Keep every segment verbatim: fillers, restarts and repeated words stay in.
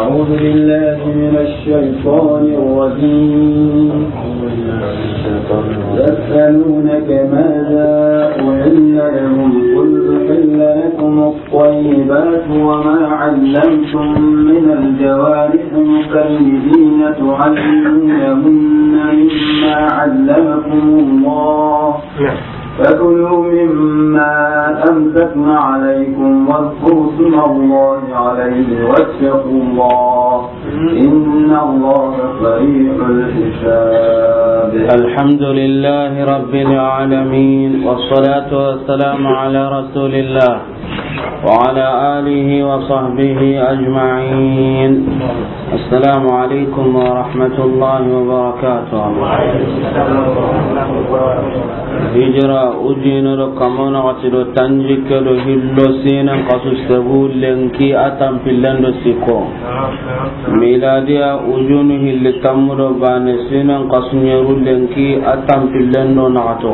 أعوذ بالله من الشيطان الرجيم. يسألونك ماذا أحل لهم، قل أحل لكم الطيبات وما علمتم من الجوارح مكلبين تعلمونهن مما علمكم الله، فكلوا مما أمسكن عليكم واذكروا اسم الله عليه واتقوا الله، إن الله سريع الحساب. الحمد لله رب العالمين، والصلاة والسلام على رسول الله وعلى آله وصحبه أجمعين. السلام عليكم ورحمة الله وبركاته. Hijira ujine do kamona wati do tanjikke do hillo sinan kasu segu lenki a tampillen do sikko. Miladiya ujunu hilli tammu do bane sinan kasu ɲeru lenki a tampillen do naxato.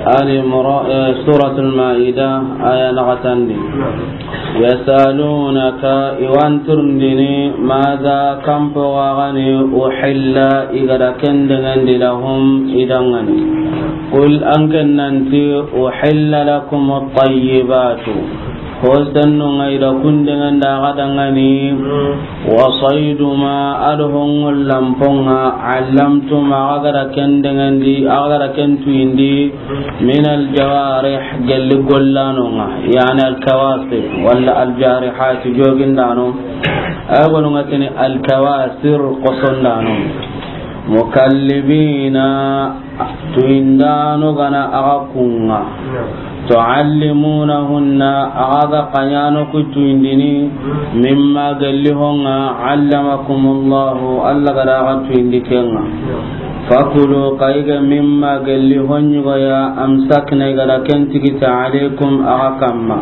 Ali Imra-, eh, Suratul Maida, aya naxatandi. Yasalunaka, i wa an turundini, mada, kanpo ga gani, uhilla, i ga da ken danŋandi, lahum, i danŋani. Qul, an ke nanti, uhilla lakum at-tayyibatu. Ho sennu ŋa i da kun danŋandi a ga danŋani. Wa saydu ma, a do ho ŋollanpo ŋa, allamtum, a ga da ken danŋandi, a ga da ken tuyindi, min al-jawarih, gelli gollano ŋa, yani al-kawasir, wala al-jarihat, jogindano. Ay gonu ŋa tini al-kawasir, kosondano. Mukallibina, tuyindano gana a ga kun ŋa. Tuallimunahunna, a ga ga kanyano ku tuyindini, mimma gelli ho ŋa, allamakumullahu, Allah ga da a ga tuyindi ken ŋa. Fakulu, xa i ga mimma gelli ho ɲi go ya, amsakna, i ga da ken tigiti, alaykum, a ga kamma.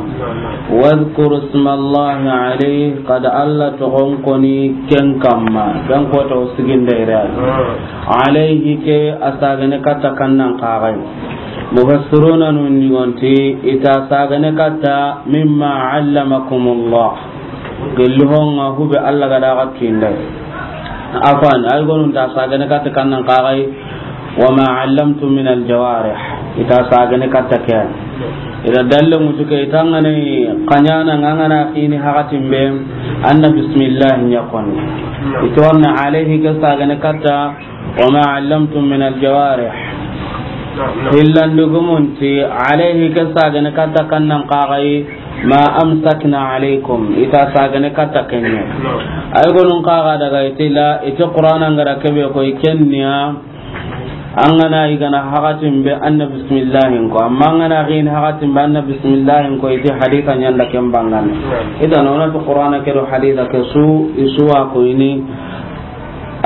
Wadhkuru ismallahi alayhi, xa da Allah toxon koni ken kamma. Ken kota o siginde ira. Alayhi ke a sagane katta kannan kaxay. Mufassiruna nun digonti i ta sagane katta mimma allamakumullah. Gelli ho ŋa hube Allah ga da a ga tuyinda. Afan, ay gonun ta sagane katta kannan kaxay. Wa ma allamtum min al-jawarih. I ta sagane katta ke. I da dalle mutu ke i ta ŋa ni kanyana ŋa ŋa na xini hakatin be an na bismillah ɲa koni. I ta wa na alayhi ke sagane katta wa ma allamtum min al-jawarih. Hillandi gumunti alayhi ke sagane katta kannan kaxay ma amsakna alaykum. I ta sagane katta kenye. Ay gonun kaxa daga i ti la, i ti Qur'ana ŋa ra kebe ko i kenniya. An ga na i gana hakatin be an na bismillahin ko, amma an ga na xini hakatin be an na bismillahin ko, i ti haditha ɲa nda ken bangane. I da nona to Qur'ana ke do haditha ke su, i su wa ko ini,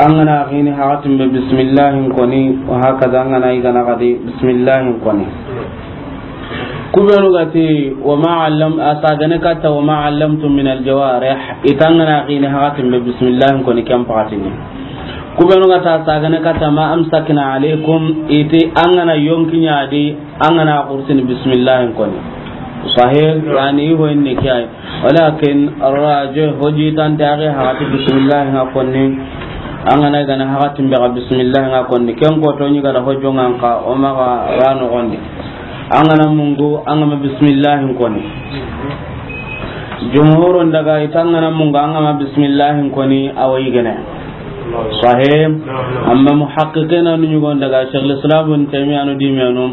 an ga na xini hakatin be bismillahin koni, wa hakaza an ga na i gana xadi bismillahin koni. Kubenu ga ti, wa ma allam-, a sagane katta, wa ma allamtum min al-jawarih, i ta an ga na xini hakatin be bismillahin koni ken pakatini. Kubenu ga ta sagane katta, ma amsakna alaykum, i ti an ga na yonki ɲa di, an ga na kursini bismillahin koni. Sahih, yani i ho inni kiyai. Walakin arrajih, ho jitante a ga hakati bismillahi ŋa konni. An ga na gana hakatin be ga bismillahi ŋa konni. Ken ko to ɲi ga da ho jongan ka, o ma ga ra noxondi. An ga na mungu, an ga ma bismillahi konni. Jumhurun daga i ti an ga na mungu, an ga ma bismillahi konni, a wa yigene. Sahih. Amma muhaqqiqina nu ɲugon daga Shaykhul Islam Ibn Taymiyyah nu dimenu.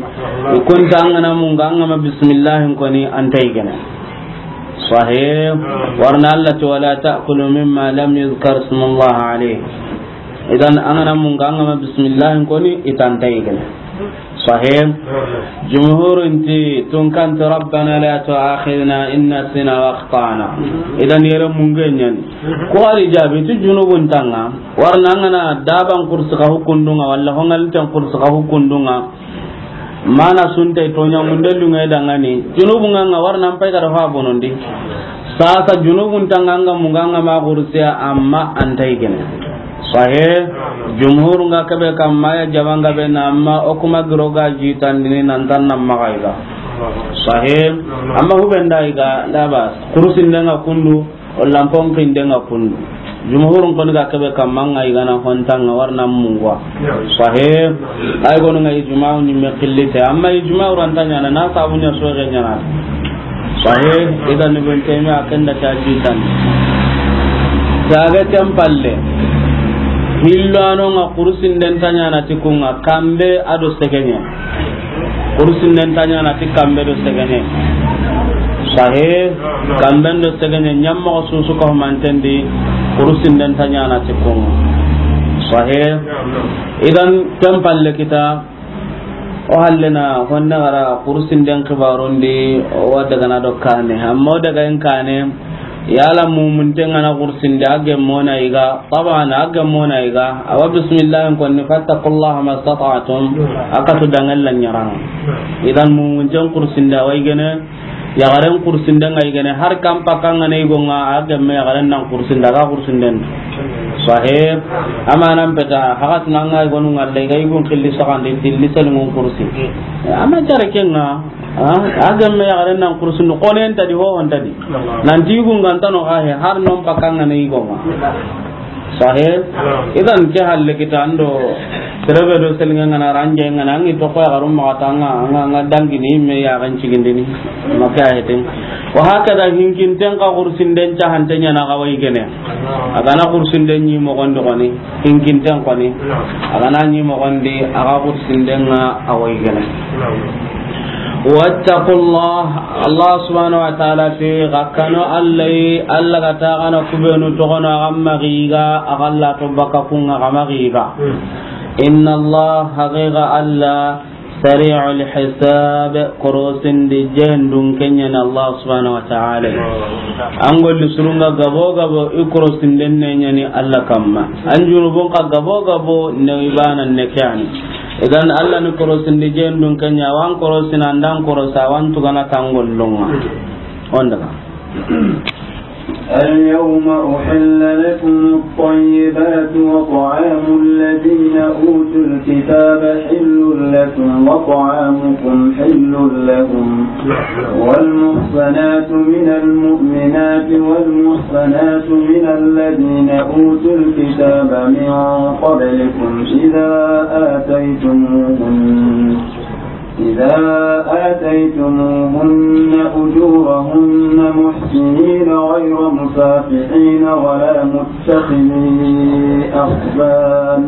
I kun ti an ga na mungu, an ga ma bismillahi konni, an ta yigene. Sahih. Warna Allah ti, "Wala ta'kulu mimma lam yuzkar ismullah alayh." Idan an ga na mungu, an ga ma bismillah konni, i ta an ta yigene. Sahih. Jumhurun ti tun kan ti, "Rabbana la tu'akhidhna in nasina wa akhtana." Idan yere mungu ɲa ni. Ko ari jabi ti junubun ta an ŋa. Warna an ga na daban kursi ka hukundunga, wala hongal tan kursi ka hukundunga. Mana sunta i toɲa munde lunga i dangani. Junubun ŋa ŋa warna an pay ga da fa bonondi. Sasa junubun ta an ŋa, an ga mungu, an ga ma kursiya, amma an ta yigene. Sahih. Jumhur ŋa kebe kamma ya jaban ga be na, amma o kuma giro ga jitandini nan tan nan maxa i ga. Sahih. Amma hubenda yiga, la bas. Kursinden ŋa kundu, o lampon kinden ŋa kundu. Jumhurun koni ga kebe kamma ŋa yiga na hontanga warna mungwa. Sahih. Ay gonu ŋa ijma'u ni me killite. Amma ijma'u ranta ɲana, na sabu ɲa soge ɲana. Sahih. Idan Ibn Taymiyyah kenda ta jitan. Daga tempalle. Hillo ano ŋa kursinden ta ɲana ti kunga kambe ado segeɲe. Kursinden ta ɲana ti kambe do segeɲe. Sahih. Kamben do segeɲe ɲamma ko susu ko mantendi. Kursinden ta ɲana ti kunga. Sahih. Idan tempalle kita. O hallena honne gara kursinden kibarundi, o daga na do kane. Amma o daga en kane, yala mumunten ŋa na kursinde a gemmona yiga, taban a gemmona yiga, awa bismillah konni, fattaqullaha mastata'tum, a katu dangal la ɲaranga. Idan mumunten kursinde a wa yigene, yaxaren kursinden ŋa yigene, har kan pakka ŋa na yigo ŋa, a gemme yaxaren nan kursinden, a ga kursinden. Sahih. Amanan peta, haxat na ŋa yigonu ŋa, le ga yigun xilli saxandi, tilli selungun kursi. Ama jare kenga, a gemme yaxaren nan kursinden, konen tadi, hohon tadi. Nanti yigun gantano xa he, har non pakka ŋa na yigo ŋa. Sahih. Idan ke halle kita ando terebe do selnga ngana ranje ngana ngi to ko ya garum ma tanga nga nga dangi ni me ya gan cigindini. Maka hetin. Wa hakada hinkinten ka kursinden ca hantenya na ga wa yigene. A ga na kursinden ɲi moxondi koni. Hinkinten koni. A ga na ɲi moxondi a ga kursinden ŋa a wa yigene. Wattaqullah, Allah subhanahu wa ta'ala ti, xa kanu Allah yi, Allah ga ta xa na kubenu toxono, a xa maxiga, a xa la to baka kunga xa maxiga. Inna Allah, haqiqa Allah, sari'ul hisab, korosindi jendun kenyana Allah subhanahu wa ta'ala. An golli surunga gabo gabo, i korosinden ne ɲani Allah kamma. An junubun ka gabo gabo, ne ibana ne kyani. Idan Allah ni korosindi jendun kenya, wan korosina, andan korosa, wan tugana tangollonga. On daga. اليوم أحل لكم الطيبات وطعام الذين أوتوا الكتاب حل لكم وطعامكم حل لهم. والمحصنات من المؤمنات والمحصنات من الذين أوتوا الكتاب من قبلكم إذا آتيتموهن، إذا آتيتموهن أجورهن محصنين غير مسافحين ولا متخذي أخدان،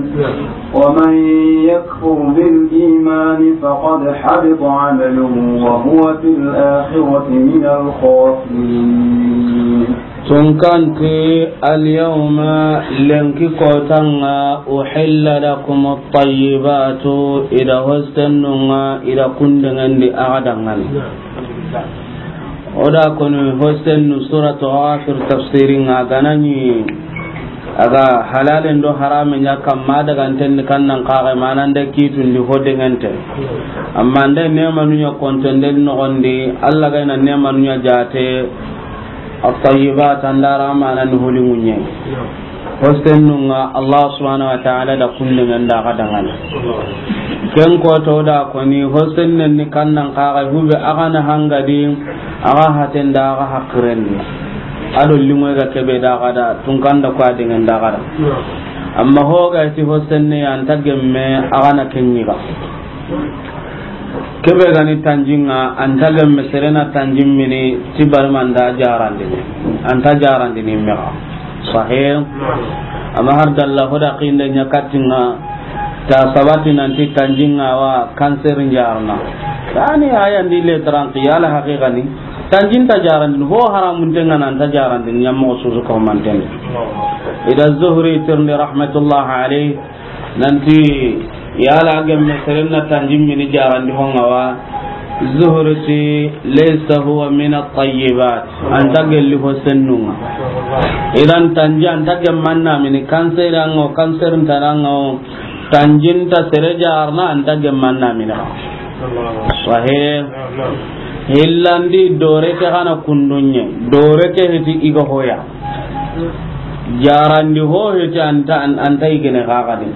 ومن يكفر بالإيمان فقد حبط عمله وهو في الآخرة من الخاسرين. Tunkanti, alyawma, lenki kotanga, uhilla lakum at-tayyibatu, ida hostennunga, ida kundengendi agadangani. Oda koni hostennu suratu Ghafir tafsiringa ganani. Aga halalen do harame ɲa kamma daga ntenni kannan kaxe manande kitundi hodengente. Amma nde nemanu ɲa kontonden noxondi, Allah gayna nemanu ɲa jate, at-tayyibat andara manani holiŋuɲe. Hostennunga Allah subhanahu wa ta'ala da kundengen da ga dangana. Ken koto da koni hostennen ni kannan kaxe hube agana hangadi, aga hatenda aga hakirendi. Ado liŋoy ga kebe da gada, tunkanda ko adengen da gada. Amma hoga ti hosenne anta gemme agana kenyiga. Kebe gani tanjinga, anta gemme serena tanjin mini ti barmanda jarandini. Anta jarandini mega. Sahih. Amma har dalla hoda kinde ɲa katinga. Ta sabati nanti tanjinga wa cancer njarna. Tani aya ndi le tranqi ala haqiqani. Tanjin ta jarandin, ho haramun tenga nan ta jarandin, ɲammo susu ko manten. Ida Zuhri tirni rahmatullah alayh, nanti yala gemme serenna tanjin mini jarandi honga wa. Zuhri ti, laysa huwa min at-tayyibat. Anta gelli ho sennunga. Idan tanji anta gemmanna mini cancer ango, cancer ntanango, tanjinta sere jarna anta gemmanna mini. Sahih. Hillandi dore ke kana kundunye. Dore ke hiti iga hoya. Jarandi ho hiti anta, an-, anta igene kakadin.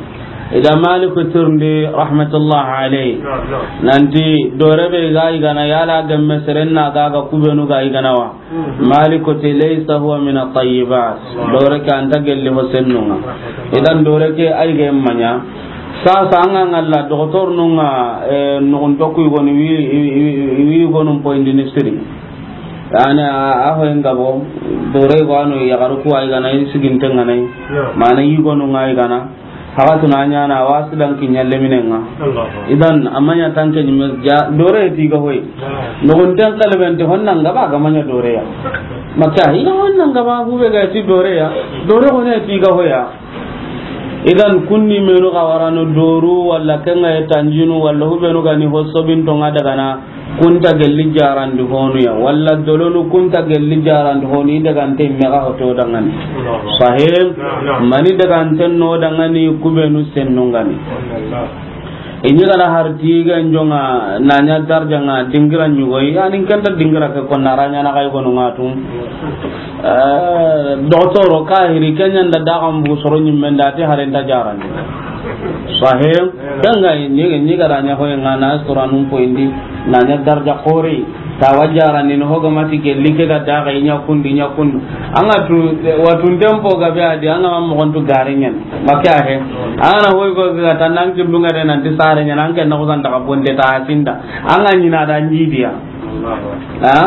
Ida Maliku tirindi, rahmatullah alayhi, naam, naam, nanti doore be ga i gana, yala gemme seren na ga ga kubenu ga i gana wa. Mhm. Maliku ti, "Laysa huwa min at-tayyibat." Doore ke a nta gelli ho sennun ŋa. Idan doore ke ay ga maɲa. Sasa an ga ŋalla, docteur nun ŋa, eh, nugun tokku i gonu wi, wi, wi, wi gonu poindini siri. Yani, a, a ho en gabo, doore go ano yagaru ku ay gana, i siginte ŋa nay. Naam. Mana i gonu ŋa ay gana. Haxatuna ɲana, a wa silan kiɲa leminen ŋa. Allahu. Idan, a maɲa tanke ɲime ja, doore ti ga hoy. Naam. Nugunten kalbente honna nga ba ga maɲa doore ya. Maka, i ga honna nga ba hube ga ti doore ya. Doore hone ti ga hoya. Idan, kunni menu ga warano doru, walla kenga e tanjinu, walla hubenu ga ni ho sobinto nga daga na. Kunta gelli jarandi honu ya, walla dolonu kunta gelli jarandi honu, i dagante me ga hoto dangani. Sahih. Naam, naam. Mani dagante no dangani kubenu sennungani. Ini gana harti ga njonga nanya darjanga dingira nyugo, yani kenta dingira ke konna ranya na kai konu ngatu. Eh, docteur kahiri kenya nda daga mbu soro nyimmenda ti harenta jarandi. Sahih. Danga ni, ni ga ra ɲa hoye nga na suranun poindi, na ɲa darja xore, ta wajara ni no hoga mati gelli ke ga daga i ɲa kundu, i ɲa kundu. An ga tu, watun tempo ga be adi, an ga ma moxon tu gare ɲen. Make a he. An na hoy go ga tan nan ki dunga de nan ti sare ɲen, an ke na ko san daga bonde ta sinda. An ga ɲi na da ɲi diya. Ha?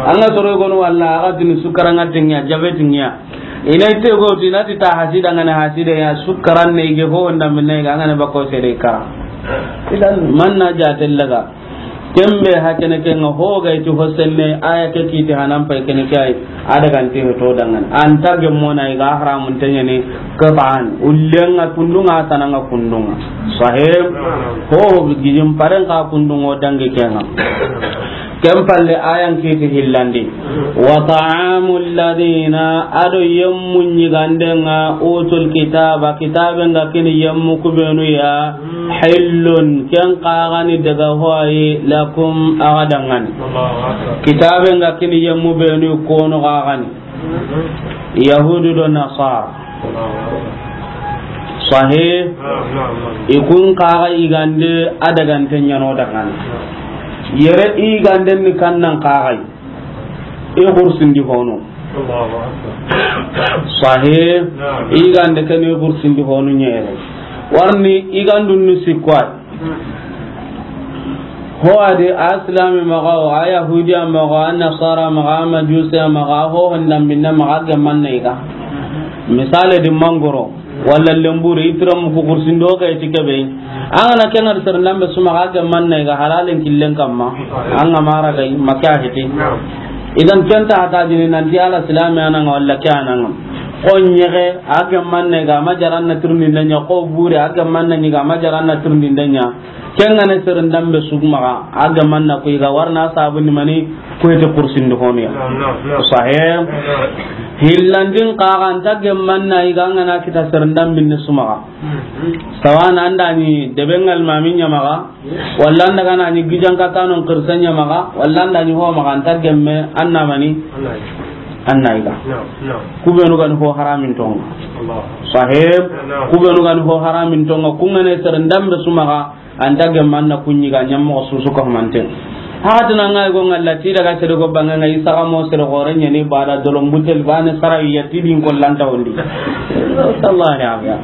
An ga soro gonu walla, a ga tini sukaranga tinya, jabe tinya. Ina ite go ti na ti ta hasida ngana hasida ya, sukaran ne ge ho nda minne ga ngana bako sere kara. Idan manna ja tellaga. Kembe hakene ke nga ho ga iti hosenne aya ke kiti hanan pay kene ke ay. Ada ganti to dangan. Anta ge mona i ga haramun tenyani qatan. Ullenga kundunga tananga kundunga. Sahib. Ho gijim paren ka kundungo dangi kenga. Ken palle ayan kiti hillandi. Wa ta'amul ladina, ado yemmu ɲigandenga, utul kitaba, kitabe nga kini yemmu kubenu ya, hillun, ken kagani daga hoyi, lakum, agadangani. Kitabe nga kini yemmu benu kono kagani. Yahudu do Nasara. Sahih. Naam, naam, naam. I kun kaga igande adagante ɲano dangani. Yere igande ni kannan kaga. I kursindi hono. Allahu Akbar. Sahih. Naam. Igande kan i kursindi hono ɲere. Warni igandun ni sikwa. Ho adi a silami maxa wo, a yahudiya maxa wo, a nasara maxa wo, a majusiya maxa wo, ho honda minna maxa wo, a gemanna i ga. Misale di mangoro, walla lemburu, i tira muku kursindo ga iti kebe. An ga na kenga di sere ndambe su maxa wo, a gemanna i ga, halalen killen kamma. An ga mara ga i, make a hiti. Idan kenta hata jini nanti a la silami ananga walla ke ananga. Ko ɲege, a gemanna i ga, a ma jaranna tirindinde ɲa, ko bure, a gemanna ɲi ga, a ma jaranna tirindinde ɲa. Kengane seren dambe sugu maxa, a gamanna ko i ga warna sabu ni mani ko ite kursindi honiya. Naam, naam, naam. Sahih. Naam. Hillandin kaga anta gamanna i ga ngana kita seren dambe ni su maxa. Mhm. Sawana anda ni debe ngal mami ɲa maxa, walla anda gana ni gijan ka tanon kirsa ɲa maxa, walla anda ni ho maxa anta gemme anna mani. Anna. Anna i ga. Naam, naam. Kubenu gani ho haramin tonga. Allah. Sahih. Naam. Kubenu gani ho haramin tonga. Kungane seren dambe su maxa. Anta gemma na kunɲi ga ɲammo susu ko mante. Hati na ngai go ngalla ti daga sere go banga ngai saga mo sere gore ɲani bada dolom butel bane sarawi yati din ko lanta wondi. Sallallahu alaihi wasallam.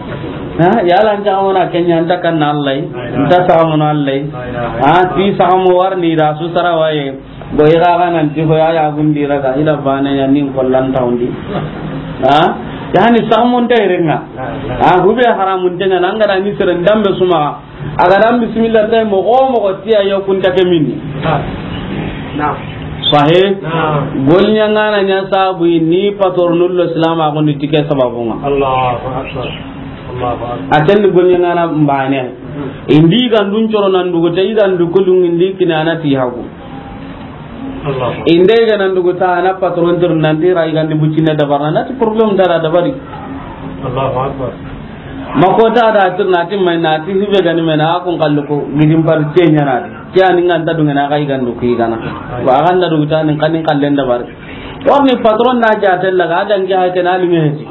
Ha, ya lan ta mo na kenya anta kan Allah. Anta saga mo na Allah. Ha, ti saga mo warni da su sarawaye. Go i ga ga nan ti ho ya ya gundi raga ila bane ya nin ko lanta wondi. Ha? Yani saga mo nta irenga. Ha, hube haramun tenga nanga da ni sere dambe su maxa. A ga dan bismillah tay mo go mo go tiya yo kunta ke minni. Naam. Sahih. Naam. Golɲa ngana ɲa sabu ni pator nullo islam a gondi tike sababunga. Allahu akbar. Allahu akbar. A ken golɲa ngana mbane. Hmm. Indi gandun coro nan dugo te idan du kulun indi kinana ti hagu. Allahu akbar. Inde ga nan dugo ta na patron tir nan ti rai gandi bucine dabarna na ti problem dara dabari. Allahu akbar. Makota da tir na ti mai na ti hibe gani mai na kun kallu ko gidin par ce ɲana de. Ke ani nganta dunga na kai gandu ki gana. Wa ganda du ta ni kanin kallen da bar. Warni patron na ja tella ga dan ke ha ke na linge heti.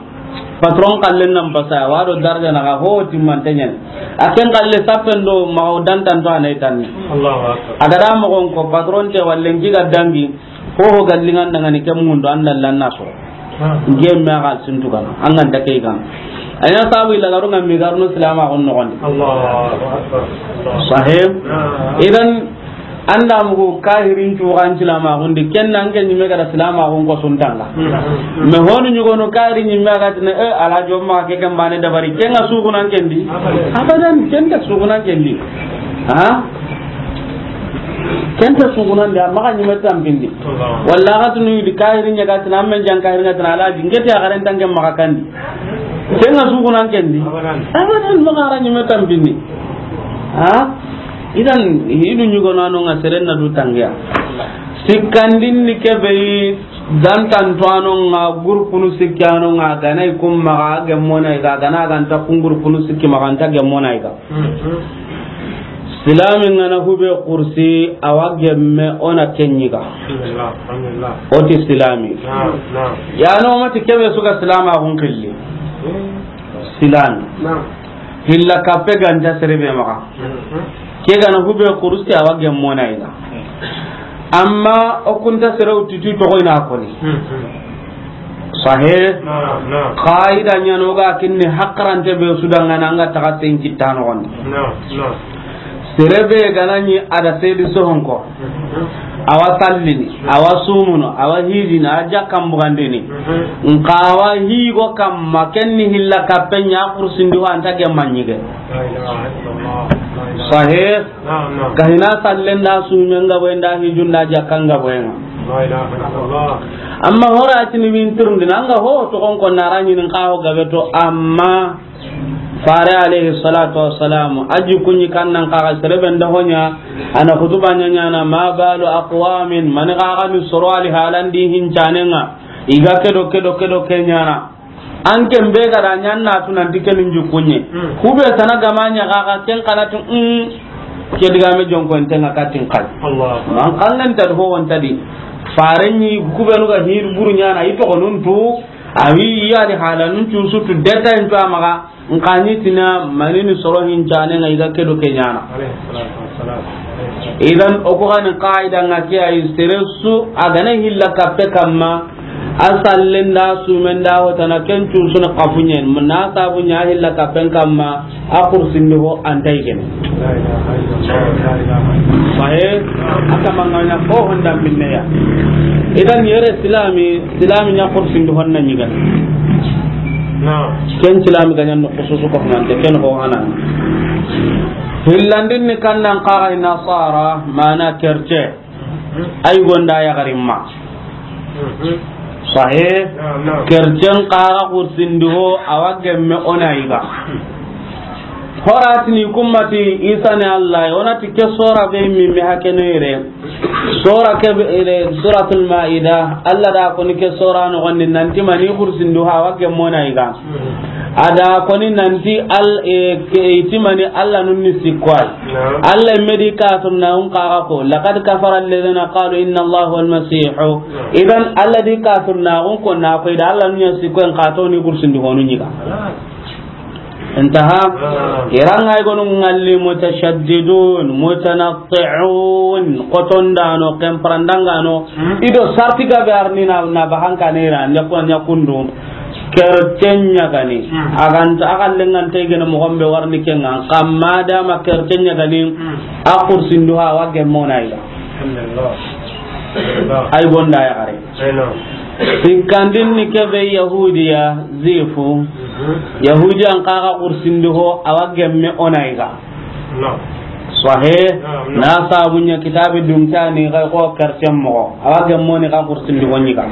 Patron kallen nan basa, wa do daraja na ga ho timmante ɲani. A ken kalle sappen do ma o dantan to anay tanni. Allahu akbar. A ga da mo gon ko patron te wallen ki ga dangi, ho ho gallingan dangani kem mundo an dallan na so. Ah. Ngem me ga sintu kana, an ga da kay kana. Anya sabu illa garu ngam mi garno silama gon no gon. Allahu akbar. Sahih. Ah. Idan, an da mugu kahirin cuxan silamaxun di, ken na an ke ɲimme ga da silamaxun ko suntanga. Mm. Mais honu ɲugono kahiri ɲimme a ga tini, e, Alhaji, o maxa ke ken bane dabari, ken ga suxunan ken di? Abadan. Abadan, ken ta suxunan ken di. Ha? Ken ta suxunan di, a maxa ɲimme tampindi. Allah. Walla a ga tunu di kahiri ɲa ga tini, an men jan kahiri ɲa tini, Alhaji, n ke ti a garen tanke maxa kandi. Ken ga suxunan ken di? Abadan. Abadan, maxa ra ɲimme tampindi. Ha? Idan, hidu ɲugono ano nga seren na du tangiya. Sikkandin ni kebe yi, dantan to ano nga, gurpunu sikki ano nga, ganai kum maxa gemmona iga, gana ganta kun gurpunu sikki maxa anta gemmona iga. Mhm. Silami ngana hube kursi, awa gemme ona kenyiga. Alhamdulillah, alhamdulillah. Oti silami. Naam, naam. Ya no mati kebe suka silama gun killi. Mhm. Silami. Naam. Hilla kappe ganta serebe maxa. Mhm. Ke gana hube kurusti awa gemmona ina. Amma o kunta sere utiti toxo ina koni. Mhm. Sahe. Naam, naam. Qaida ɲano ga kinni hakrante be sudanga nanga taga sen kittano gon. Naam, naam. Serebe gana ni ada sedi sohonko. Awa sallini, awa sumuno, awa hijini, awa jakkan bugandini. Mhm. Nka awa higo kamma, kenni hilla kappe ɲa kursindi ho anta gemma ɲige. La ilaha illallah, la ilaha. Sahih. Naam, naam. Kahina sallen da sumen ga boyen da hijun da jakkan ga boyen. La ilaha illallah. Amma hora tini min turndi nanga ho to kon ko nara ɲin ka ho gabe to amma Fare alayhi salatu wassalam, a ji kunɲi kannan kaga sereben da hoɲa, ana khutuba ɲaɲana, ma balu aqwamin, mani kaga ni soro ali halandi hincanenga, iga kedo, kedo, kedo kenyana. An ken be gara ɲanna tunanti kenin ji kunɲe. Hmm. Kube sana gama ɲa kaga ken kanatu, mm, ke digame jonko entenga katin kai. Allah. Man kangen ta ho won tadi. Fare ni kube nuga hir buru ɲana, ito konuntu, Awi, yani halanun cu sutu detail to amaga, nkani tina manini soro hincane nga iga kedo kenyana. Alayhi salatu wassalam. Idan, o ko gani qaida nga ke ay seresu, agana hilla kappe kamma, a sallen da, sumen da, hotana ken cu suna kafunyen, na sabu nya hilla kappen kamma, a kursindi ho anta igene. La ilaha illallah, la ilaha illallah. Sahe, ata manganya ko honda minneya. Idan yere silami, silami nya kursindi honna nyiga. Na. Ken silami ganyan no khususu ko nante ken ho hanan. Hillandin ni kannan qaga nasara, mana kerce. Ay gonda ya garimma. Mhm. Sahe. Naam, naam. Kercen kaga kursindi ho, awa gemme ona iga. Horatini kummati Isa ne Allah, onati ke sora be mi mi hakene ire. Sora ke be ire, Suratul Maida, Allah da koni ke sora no gonni nanti mani kursindi ho, awa gemme ona iga. Ada koni nanti al, e, ke, itimani Allah nunni sikko ay. Naam. Allah medi kafir na un kaga ko, laqad kafara alladhina qalu inna Allaha huwal masih. Naam. Idan Allah di kafir na un ko na ko ida Allah nunya sikko en kato ni kursindi honu nyiga. Khalas. Intaha. Naam. Iranga igonu ngalli mutashaddidun, mutanatti'un, kotondano, kemprandangano, Hmm. Ido sarti gabe arni na, na bahanka ne ra, nya ko nya kundu. Kercen ɲagani. Hmm. Aganta, agallen ganta igene mogombe warni kenga. Kamma dama kercen ɲagani. Hmm. A kursindu ha wa gemmona ila. Alhamdulillah. Alhamdulillah. Ay gonda ya gare. Ay no. Sikkandin ni kebe Yahudiya, zifu. Mhm. Yahudiyan kaga kursindu ho, awa gemme ona iga. No. Sahe, no, no. Na sabunya kitabi dunkani ga ko kercen mogo. Awa gemmoni ga kursindi ho nyiga.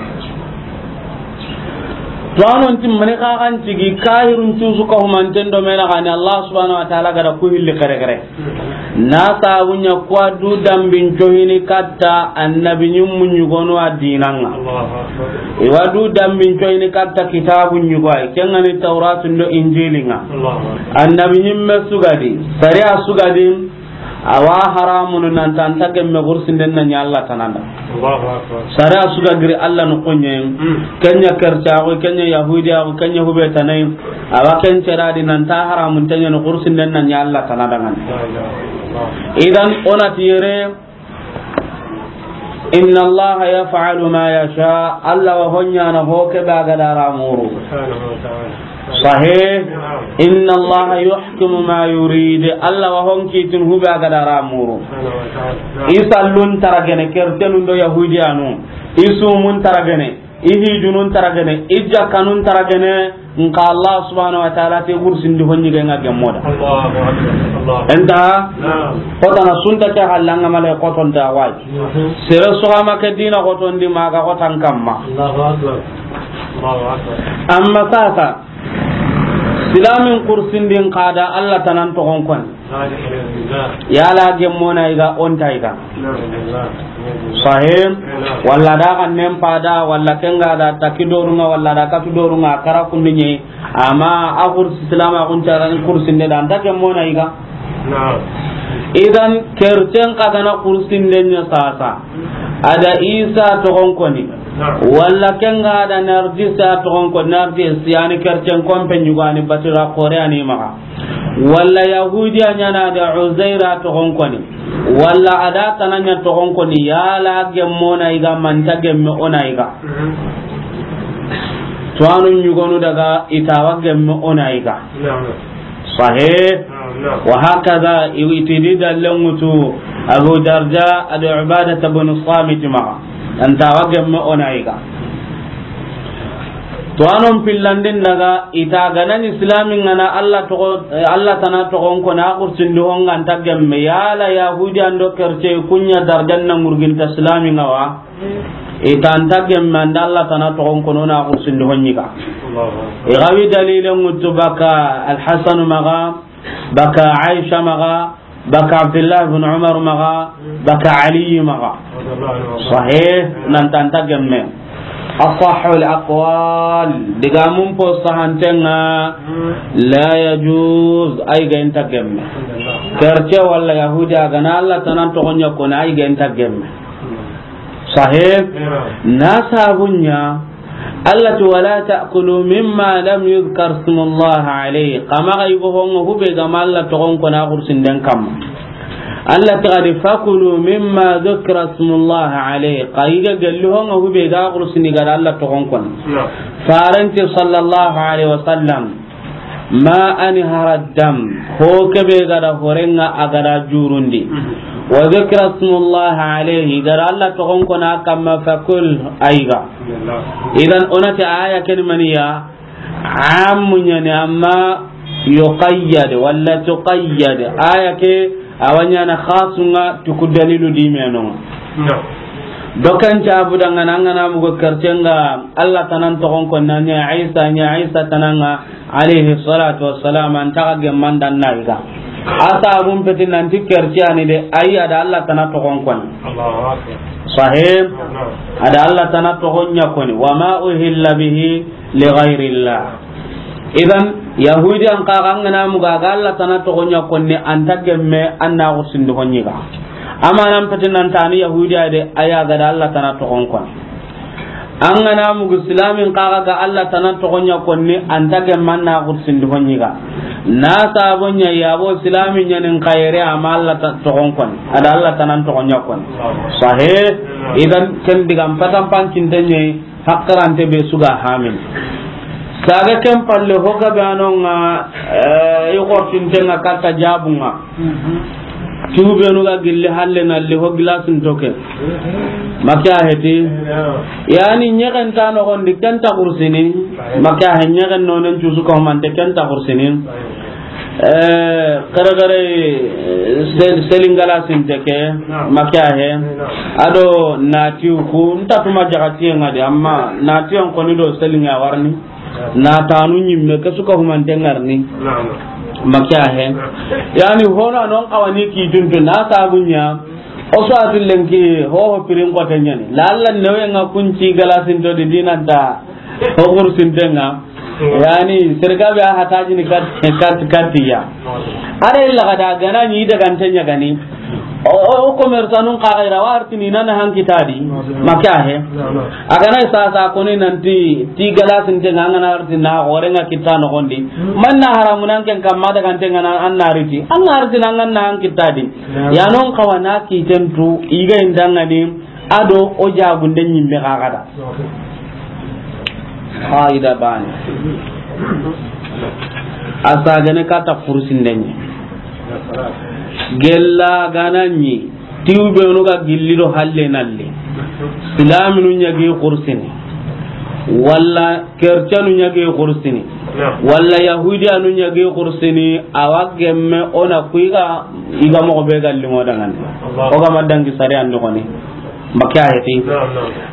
To anon tim mani ka kan tigi kahirun tusu ka humanten do mena gani Allah subhanahu wa ta'ala ga da ku hilli kare kare. Na sabunya kuwa du dambin cohini katta annabi ɲimmu ɲugono a dinanga. Allahu akbar. Iwa du dambin cohini katta kitabu ɲugo ay. Kengani Tauratun do Injilinga. Allahu akbar. Annabi ɲimme sugadi, sariya sugadi, Awa haramun nan ta an ta gemme xursinden na ɲa Alla tana da. Allahu akbar. Sariya su ga giri Alla noxon ɲa. Mm. Ken ɲa kercaaxu, ken ɲa yahudiyaxu, ken ɲa hube tanai. Awa ken ceradi nan ta haramun te ɲa ni xursinden na ɲa Alla tana da ŋa ni. La ilaha illallah. Idan o na ti yere, inna Allaha yaf'alu ma yasha, Alla wa ho ɲaana ho ke be a ga da ra muru. Subhanahu wa ta'ala. Sahih. Naam. Inna Allaha yuhkimu ma yurid, Alla wa ho kiitini hu be a ga da ra muru. Subhanahu wa ta'ala. Naam. I sallun taragene, kertenun do yahudiyanu, i sumun taragene, i hijunun taragene, i jakkanun taragene, nka Allah subhanahu wa ta'ala te gursindi ho ɲi ga ŋa gemmo da. Allahu akbar. Allah. Enta? Naam. Xotana sunta ke hallanga male xotonta wayi. Mhm. Sere su ga ma ke dina xotondi ma ga xotan kamma. Allahu akbar. Allahu akbar. Amma sasa, silamin kursindin xa da Alla tanan toxon koni. Yala gemmo na i ga, o nta i ga. Sahih. Walla da kan nen pada, walla ken ga da taki dorunga, walla da katu dorunga, kara kundu ɲi. Amma a kursi silama kun caran kursinde da, an ta gemmo na i ga. Naam. Idan kerten xa ga na kursinde ɲa sasa, a da Isa toxon koni. Naam. Walla ken ga da Narjisa toxon koni, Narjis yani kerten kompe ɲugani batira kore ani maxa. Walla yahudiya ɲaana da Uzaira toxon koni, walla a da tana ɲa toxon koni, yala gemmo na i ga, ma nta gemme o na i ga. Mhm. Tuwanu ɲugonu daga i ta wa gemme o na i ga. Naam. Sahih. Naam, naam. Wa hakaza, i tidi dallen ŋutu Abu Darda ado Ubadata bin Samit maxa. An ta wa gemme o na i ga. To, a non pillandin daga, i ta ga na ni islamin ŋa na Allah toxo, eh, Allah tana toxon ko na kursindi ho ŋa, an ta gemme, yala Yahudi an do kerce kun ɲa darjan na murginta islamin ŋa wa? I ta an ta gemme, an da Allah tana toxon ko na kursindi ho ɲi ga. Allahu akbar. I ga wi dalilen ŋutu baka Al-Hasan maxa, baka Aisha maxa, baka Abdullah ibn Umar maxa, baka Ali maxa. Sahih, nan ta an ta gemme. Asahhul aqwal, digamun po sahanten ŋa, la yajuz, ay ga nta gemme. Kerce walla Yahudi a ga na Allah tana toxon ɲa ko na, ay ga nta gemme. Sahih. Na sabun ɲa, Allah ti, "Wala ta'kulu mimma lam yuzkar ismullahi alayhi." Xa maxa yigo ho ŋa hube ga ma Allah toxon ko na kursinden kamma. Allah ti, "Fakulu mimma zukira ismullahi alayhi." Xa yiga gelli ho ŋa hube ga kursini ga da Allah toxon ko na. Naam. Faranti sallallahu alayhi wa sallam. Ma anhara dam, ho kebe ga da horenga a ga da jurundi. Mhm. Wa zikra ismullahi alayhi, ga da Allah toxon ko na kamma, fakul, ay ga. Idan o na ti aya ken maniya, ammu ɲa ni, amma yuqayyad walla tuqayyad. Aya ke a wa ɲaana xasunga tuku dalilu di menonga. No. Dokan cabu dangana, an ga na mugo kercenga Allah tanan toxon ko na ɲa Isa, ɲa Isa tananga, alayhi salatu wassalam, an ta ga gemman dan na i ga. A sabun peti nanti kerciyani de, ayi, a da Allah tana toxon ko ni. Allahu akbar. Sahih. No. A da Allah tana toxon ɲa ko ni. Wa ma uhilla bihi li ghayrillah. Idan, Yahudi an xa ga an ga na muga ga Allah tana toxon ɲa ko ni, an ta gemme, an na kursindi ho ɲi ga. Amma nan peti nan tani Yahudi a de, aya ga da Allah tana toxon ko ni. An ga na mugu silamin xa ga Allah tana toxon ɲa ko ni, an ta gemme, an na kursindi ho ɲi ga. Na sabon ɲa yabo silamin ɲa nin xayre, amma Allah ta toxon ko ni. A da Allah tanan toxon ɲa ko ni. Sahih. Idan ken digan patan pancinte ɲa, hakkarante be su ga hamin. Saga ken palle ho ga be anonga, eh, i xortintenga katta jabunga. Tubenu ga gilli halle na li ho gilasin toke. Maka heti. Yani ɲegen ta noxondi ken ta kursini. Maka he ɲegen nonen cusu ko mante ken ta kursini. Eh, kare kare, eh, sel-, selingala sinte ke, naam, maka he. Naam. Ado natiyu ku, nta tuma jagatiye ŋa de, amma natiyan koni do selinga warni. Naam. Natanu ɲimme, ke su ka humante ŋarni. Naam. Maka he. Naam. Yani hono non kawani ki tuntu na sabunya. O so atu lenki, ho ho pirin ko tenyani. Lalla newe ŋa kunci galasin to di dinanta. Ho kursintenga. Mm. Yani, serga be a hatajini kat-, kat-, katiya. Are illa ga da gana ni daga ntenya gani. O, o, o commerçant nun xa ga ira wa artini na na han kita di. Maka he. A ga na sasa ko ni nanti ti galasin te nga na artina gore nga kita no gondi. Man na haramu nan ken kamma daga te nga na an na riti. An na artina nga na han kita di. Ya non kawana ki tentu iga indanga ni ado o jagunde nyimme ga ga da. Haida bani. Asagene kata kursindenye. Gella gananyi. Tiwbenu ga gilli do halle nalle. Silaminu ɲagi kursini. Walla kercanu ɲagi kursini. Walla yahudiyanu ɲagi kursini. Awa gemme ona kuiga iga mogo be galli mo dangane. O ga ma dangi sari andi koni. Maka heti.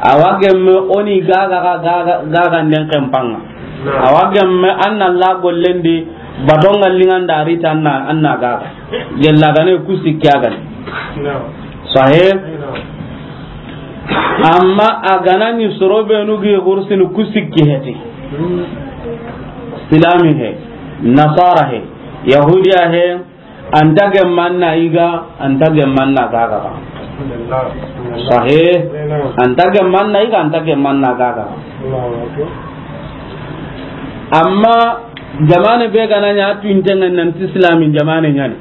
Awa gemme oni gaga, gaga, gaga nden kempanga. Awa gemme anna la gollendi batonga linganda rita anna, anna gaga. Gella gane kusi kyagan. Sahe. Amma a gana ni soro benu gi kursini kusi ki heti. Silami he, nasara he, yahudiya he, anta gemmanna iga, anta gemmanna gaga. Sahe. Anta gemmanna iga, anta gemmanna gaga. Amma jamane be gana nya tu intenga nanti islamin jamane nyani.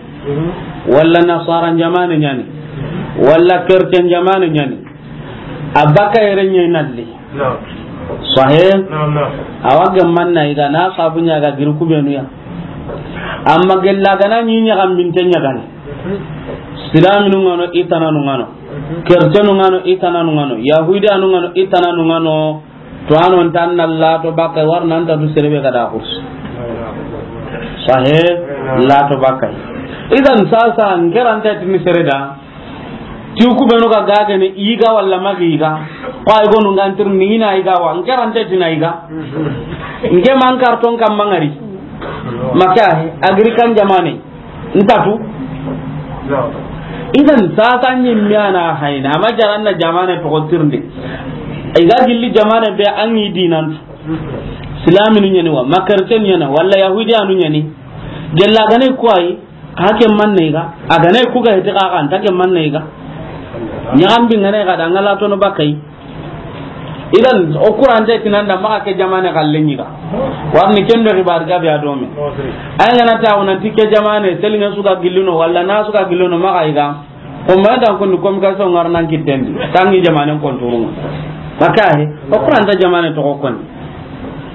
Walla nasara jamane nyani. Walla kercen jamane nyani. A baka yere nye nalli. Sahe. Awa gemmanna iga na sabu nya ga giri kubenu ya. Amma gella gana nyi nya gambinte nya gani. Silaminu ngano, itananu ngano. Kercenu ngano, itananu ngano. Yahudiyanu ngano, itananu ngano. To ano ntan na la to baka warna anta du serebe kada kurs. Sahe. La to baka. Idan sasa ngerante tini sereda. Ti ku benu ga gagene iga walla magi iga. Ko ay gonu ngantir ni ina iga wa. Ngerante tina iga. Nge man karton kam mangari. Maka he, agrikan jamane. Ntatu. Idan sasa ni miana hayna. Ama jaranna jamane to tirndi. Iga gilli jamane be angi dinan. Silaminu nyani wa, makarten nyana, walla yahudiyanu nyani. Gella gane ko ay. Hake manne ga, a gane ku ga hete ka kan take manne ga. Ɲaxambi ngane ga da ngala tono bakai. Idan o kurante tinanda maka ke jamane kallen yiga. Warni kendo ribar gabe adome. Ay ngana ta wona tike jamane selinga suka gilluno walla na suka gilluno maka iga. O ma dan kun ko mi ka so ngarnan kitendi. Tangi jamane konturun. Maka he, o kuranta jamane to ko kon.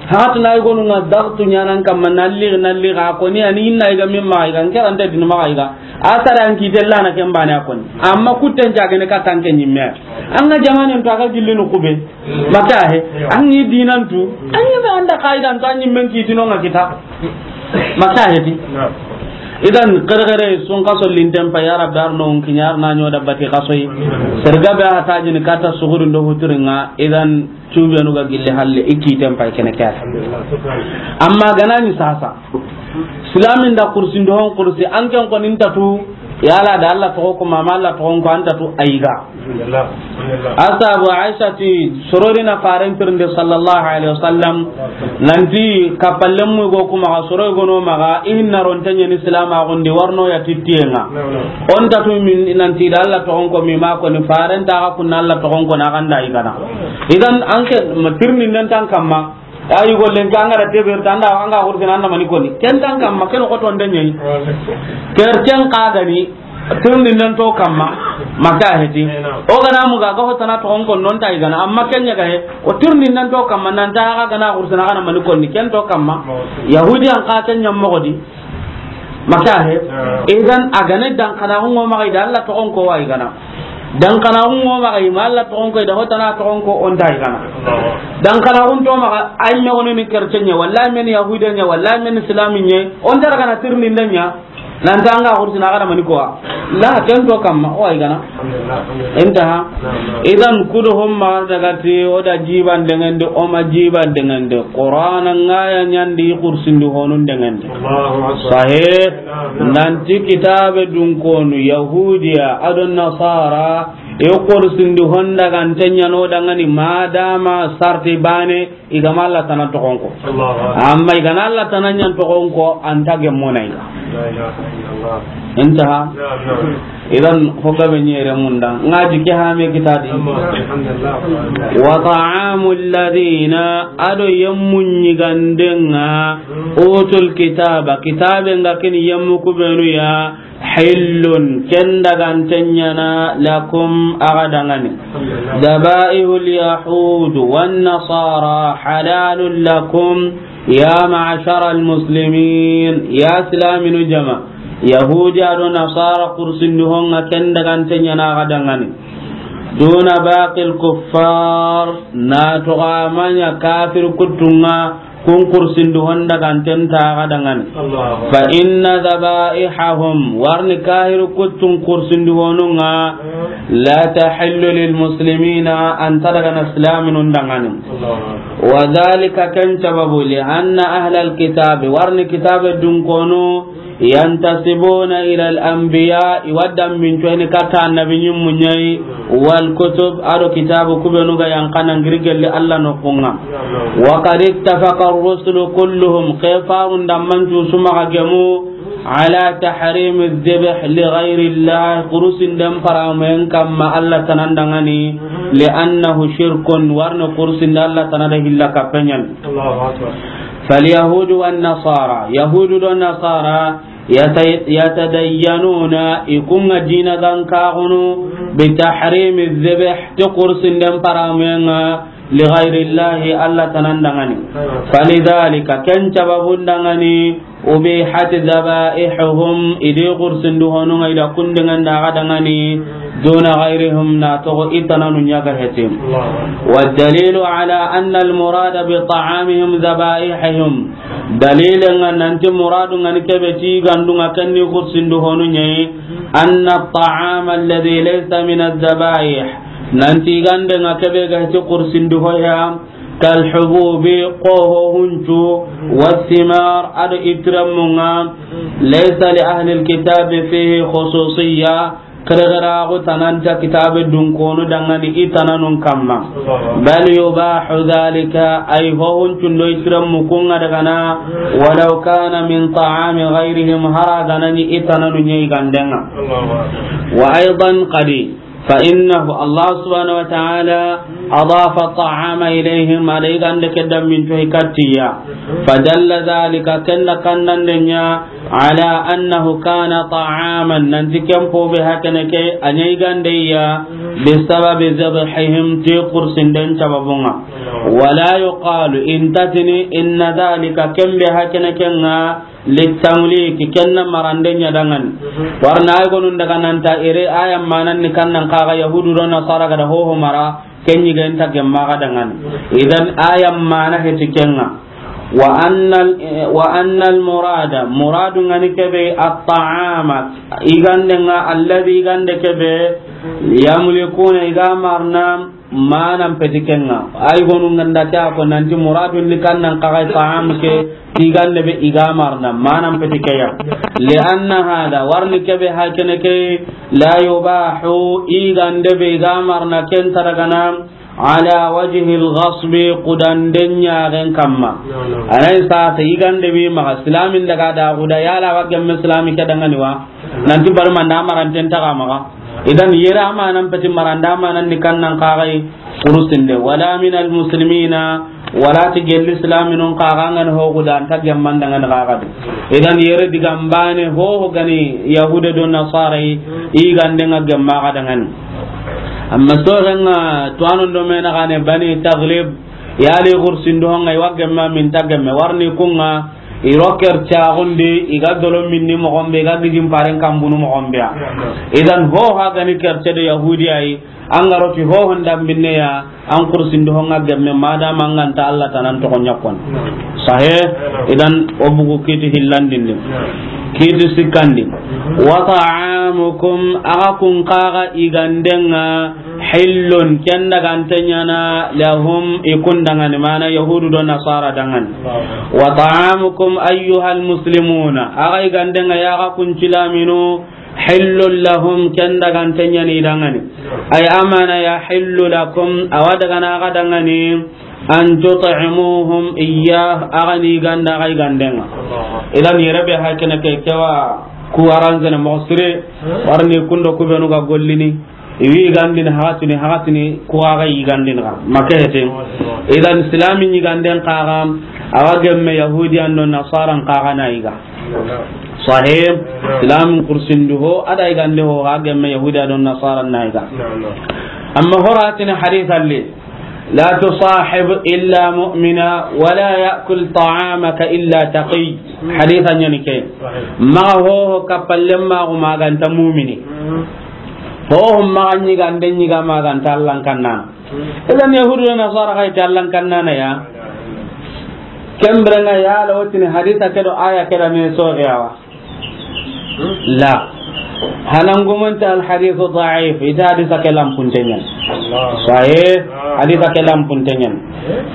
Hatu na igonu nga dagtu nyanan kamma nalli nalli ga koni ani inna iga mimma iga nkerante dinu ma iga. Asara an kitella na kembane akoni. Amma kutten jagene ka tanke nyimme. Anga jamanen to aga gillinu kube. Maka he. Angi dinantu. Angi be anda kaidan to anyi men kitino nga kita. Maka he ti. Idan kare kare sun kaso linten pa ya rabbi arno kinyar na nyoda bati kasoyi. Serga be hatajini kata suguru ndo huturinga idan. Tubenu ga gilli halle i kiten pay kene kata. Amma ganani sasa. Silamin da kursi ndo hon kursi an ken ko nin tatu yala da Allah to ko ma Allah to ko an tatu aiga. Asabu Aisha ti sorori na faren tirnde sallallahu alaihi wasallam nanti kapallem mu go kuma soro go no maga inna ron tanya ni silama gondi warno ya titiyenga. On tatu min nanti da Allah to ko mi ma ko ni faren ta ga kun Allah to ko na ganda igana. Idan an ke ma tirni nan tan kamma. Ayi gollen ka ngara teber tanda anga hurtin anda mani koni. Ken tan kamma ken ko ton denye. Kercen ka gani tirni nan to kamma. Maka heti. O gana mu ga ga hotana to on kon non ta igana amma ken nya ga he. O tirni nan to kamma nan ta ga gana hurtin gana mani koni ken to kamma. Yahudi an ka ken nya mo godi. Maka he. Idan a gane dan kana hungo maga ida Allah to on ko wa igana. Dan kana hungo maga ima Allah to on ko ida hotana to on ko on ta igana. Dan kana hun to maga ay me woni ni kercenya wallahi men yahudiya nya wallahi men islaminya on dara kana tirni ndanya. Nan tanga hurtina kana mani ko la ken to kamma o igana. Intaha. Idan kudo homma daga ti o da jiban dengende o ma jiban dengende Qur'ana ngaya nyandi kursindi honun dengende. Sahih. Nanti kitabe dun konu yahudiya adon nasara e kursindi honda gantenya no dangani madama sarti bane igama Allah tana tokonko. Amma igana Allah tana nyan tokonko anta gemmona iga. Intaha. Idan, hoga be nyere munda. Ngaji ke ha me kitadi. Wa ta'amul ladina, ado yemmun yigandenga, utul kitaba, kitabe nga kin yemmu kubenu ya, hillun, ken daganten ɲana, lakum, axa dangani. Dabaihul yahud wan nasara halalun lakum, ya ma'ashara al muslimin, ya silaminu jama. Yahudi ado nasara kursindu honga ken daganten ɲana axa dangani. Duna baqil kuffar, na toga manya kafir kuttunga, kun kursindu honda ganten taga dangani. Fa inna dhabaihahum, warni kahir kuttun kursindu honunga, la tahillu lil muslimina, anta dagana islaminun dangani. Wa dhalika, ken sababu, li anna ahlal kitabi, warni kitabe dunkonu, yantasibuna ila al anbiya, iwa dammincoyni katta annabi ɲimmu ɲayi, wal kutub, ado kitabu kubenu ga yankana ngiri gelli Allah nokunga. Wa qad ittafaqa ar-rusulu kulluhum, kefarun dammancu sumaga gemu, ala tahrimi dhibh li ghayri Allah, kurusinden paramen kamma Allah tanan dangani, li annahu shirkun, warni kurusinde Allah tanada hilla kappeɲan. Fal yahudu wan nasara, yahudu do nasara, yata-, yatadayyanuna, ikunga dina gankaxunu, bi tahrimi dhibh, ti kursinden paramenga, li ghayri Allahi, Allah tanan dangani. Falidhalika, ken sababun dangani, ubihat dhabaihum, idi kursindu honunga ida kundingan daga dangani, duna ghayrihim, na togo itananu ɲaga heti. Wa dalilu ala anna al murada bi ta'amihim dhabaihahum, Dalilen nga nanti muradu nga ni kebe ti gandunga kenni kursindu honu ɲayi, anna ta'ama alladhi laysa min adh-dhabaih, nanti gande nga kebe ga ti kursindu hoya, kal hububi, qoho huncu, wathimar, ado itiramunga, laysa li ahli alkitabi fihi khususiyya, Keregeraxu tananta kitabe dunkonu dangani i tananun kamma. Bal yubahu dhalika, ay hohun cundo i siren mukunga dagana, walaw kana min ta'ami ghayrihim, hara ganani i tananu ɲa i gandenga. Wa aydan qadi, fa innahu, Allah subhanahu wa ta'ala, adafa ta'ama ilayhim, ala i gande ke damminto i kattiya. Fa dalla dhalika, kenna kannande ɲa, ala annahu kana ta'aman, nanti ken pobe hakene ke a ɲa i gande ya, bisababi dhabhihim, ti kursinden sababunga. Wala yuqalu, intatini, inna dhalika, ken be hakene kenga, litamliki, kenna marande ɲa dangani. Warna ay gonun daga nanta ire aya manan ni kannan kaga yahudu do nasara gada hoho mara, Ken ɲi ga nta gemma ga dangani. Idan aya mana heti kenga. Wa annal, wa annal murada, muradu ngani kebe at-ta'ama, i gande nga alladhi i gande kebe, yamlikuna i ga marna, manan peti kenga. Ay gonu nganda kya ko nanti muradu ni kannan kaga ta'am ke, Tigande be i ga marna, manan peti keya. Li anna hada, warni kebe hakene ke, la yubahu, i gande be i ga marna ken taragana, ala wajhi al-ghasbi, kudanden ɲagen kamma. Anay sasa i gande be maga silamin daga da guda yala wa gemme silami ke dangani wa. Nanti bari manda maranten taga maga. Idan yere amanan peti maranda amanan ni kannan kagai kurusinde, wala min almuslimina, wala ti gelli islaminun kaga ngani hogu da anta gemman dangani kaga di. Idan yere digambane hoho gani yahude do nasara i gande nga gemma ga dangani. Amma so renga tuwanon do mena gane bani taglib, yali kursindo nga i wa gemma min ta gemme warni kunga. Iro kercaxundi, i ga dolo minni moxon be, i ga gijin paren kanbunu moxon be ya. Idan, ho ha gani kerce do yahudiya yi, an ga roti ho honda binne ya, an kursindi ho nga gemme, madama an ganta Allah tanan toxo ɲakkon. Sahe, idan, o bugu kiti hillandindi. Kiti sikkandi. Wa ta'amukum, aga kun kaga i gandenga, Hillun, ken dagante ɲana, lahum, i kun dangani, mana yahudu do nasara dangani. Wa ta'amukum ayyuhal muslimuna, aga i gande nga yaga kun silaminu, hillun lahum, ken dagante ɲani dangani. Ay amana yahillu lakum, awa dagana aga dangani, أن تطعموهم إياه, a ga ni ganda, a ga yiganden ŋa. Idan yere be hakene ke kewa ku aranzene mo sire, warni kundo ku benu ga gollini, i wi yigandini, hakatini, hakatini, ku a ga yigandini ga. Make hete. Idan Islami yiganden kaga, a wa gemme Yahudiyan do Nasaran kaga na yiga. Sahih. Islamin kursindu ho, a da yigande ho, a gemme Yahudiya do Nasaran na yiga. Amma horatini hadith alli, لا تصاحب إلا مؤمنا ولا يأكل طعامك إلا تقي. Haditha ɲani ke. Maxa ho ho kappalle maxa ma ganta mumini. Ho ho maxa ɲigande ɲiga ma ganta Allan kanna. Idan Yahudu na Nasara ga iti Allan kanna na ya. Kembre nga ya la wotini haditha ke do aya ke da me so yawa. La. Hanan gumunta al hadithu da'if, ita haditha ke lampunte ɲan. Sahih, haditha ke lampunte ɲan.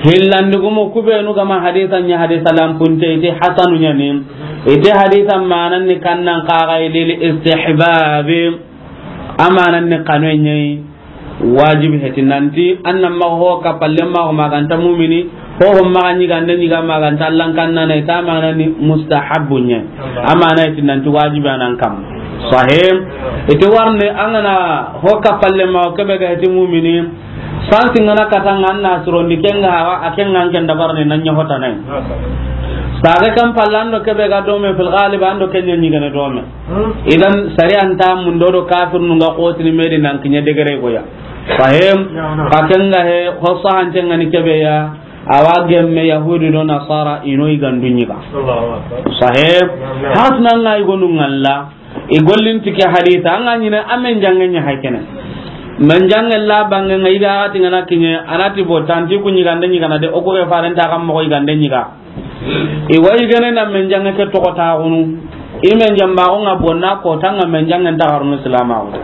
Hillandi gumu ku benu ga ma haditha ɲa haditha lampunte, ite hasanu ɲani. Ite haditha manan ni kannan kaga lil istihbabi. Amanan ni kanu ɲai. Wajibi heti nanti, an na maxa ho kappalle maxa ma ganta mumini, ho ho maxa ɲigande ɲiga ma ganta Allan kanna na, ita maxa ni mustahabbu ɲa. Amana heti nanti wajibi anan kam. Sahih. Ite warne an ga na ho kappalle maxa kebe ga heti mumini, sansi ngana katanga an na surondi kenga hawa, a kenga an ken dabarne nan ɲa hota nay. Sage kam pallando kebe ga dome fil ghalib ando kenya ɲigane dome. Idan sariya nta mundo do kafir nu nga kotini medi nan kinya degere goya. Sahih. Ka kenga he, ho sahante ngani kebe ya, awa gemme Yahudi do Nasara ino igandu ɲiga. Sahih. Hasna nga igonu ngalla, igollin tike haditha, anga ɲine amen jange ɲa hakene. Men jange la bange nga iga ati ngana kinye, anati bo tanti ku ɲigande ɲigana de, oku ke farenta kam mo igande ɲiga. I wa yigene na men jange ke toxo taxunu. I men jamba ko nga bonna ko tanga men jange nta xarnu silama ko.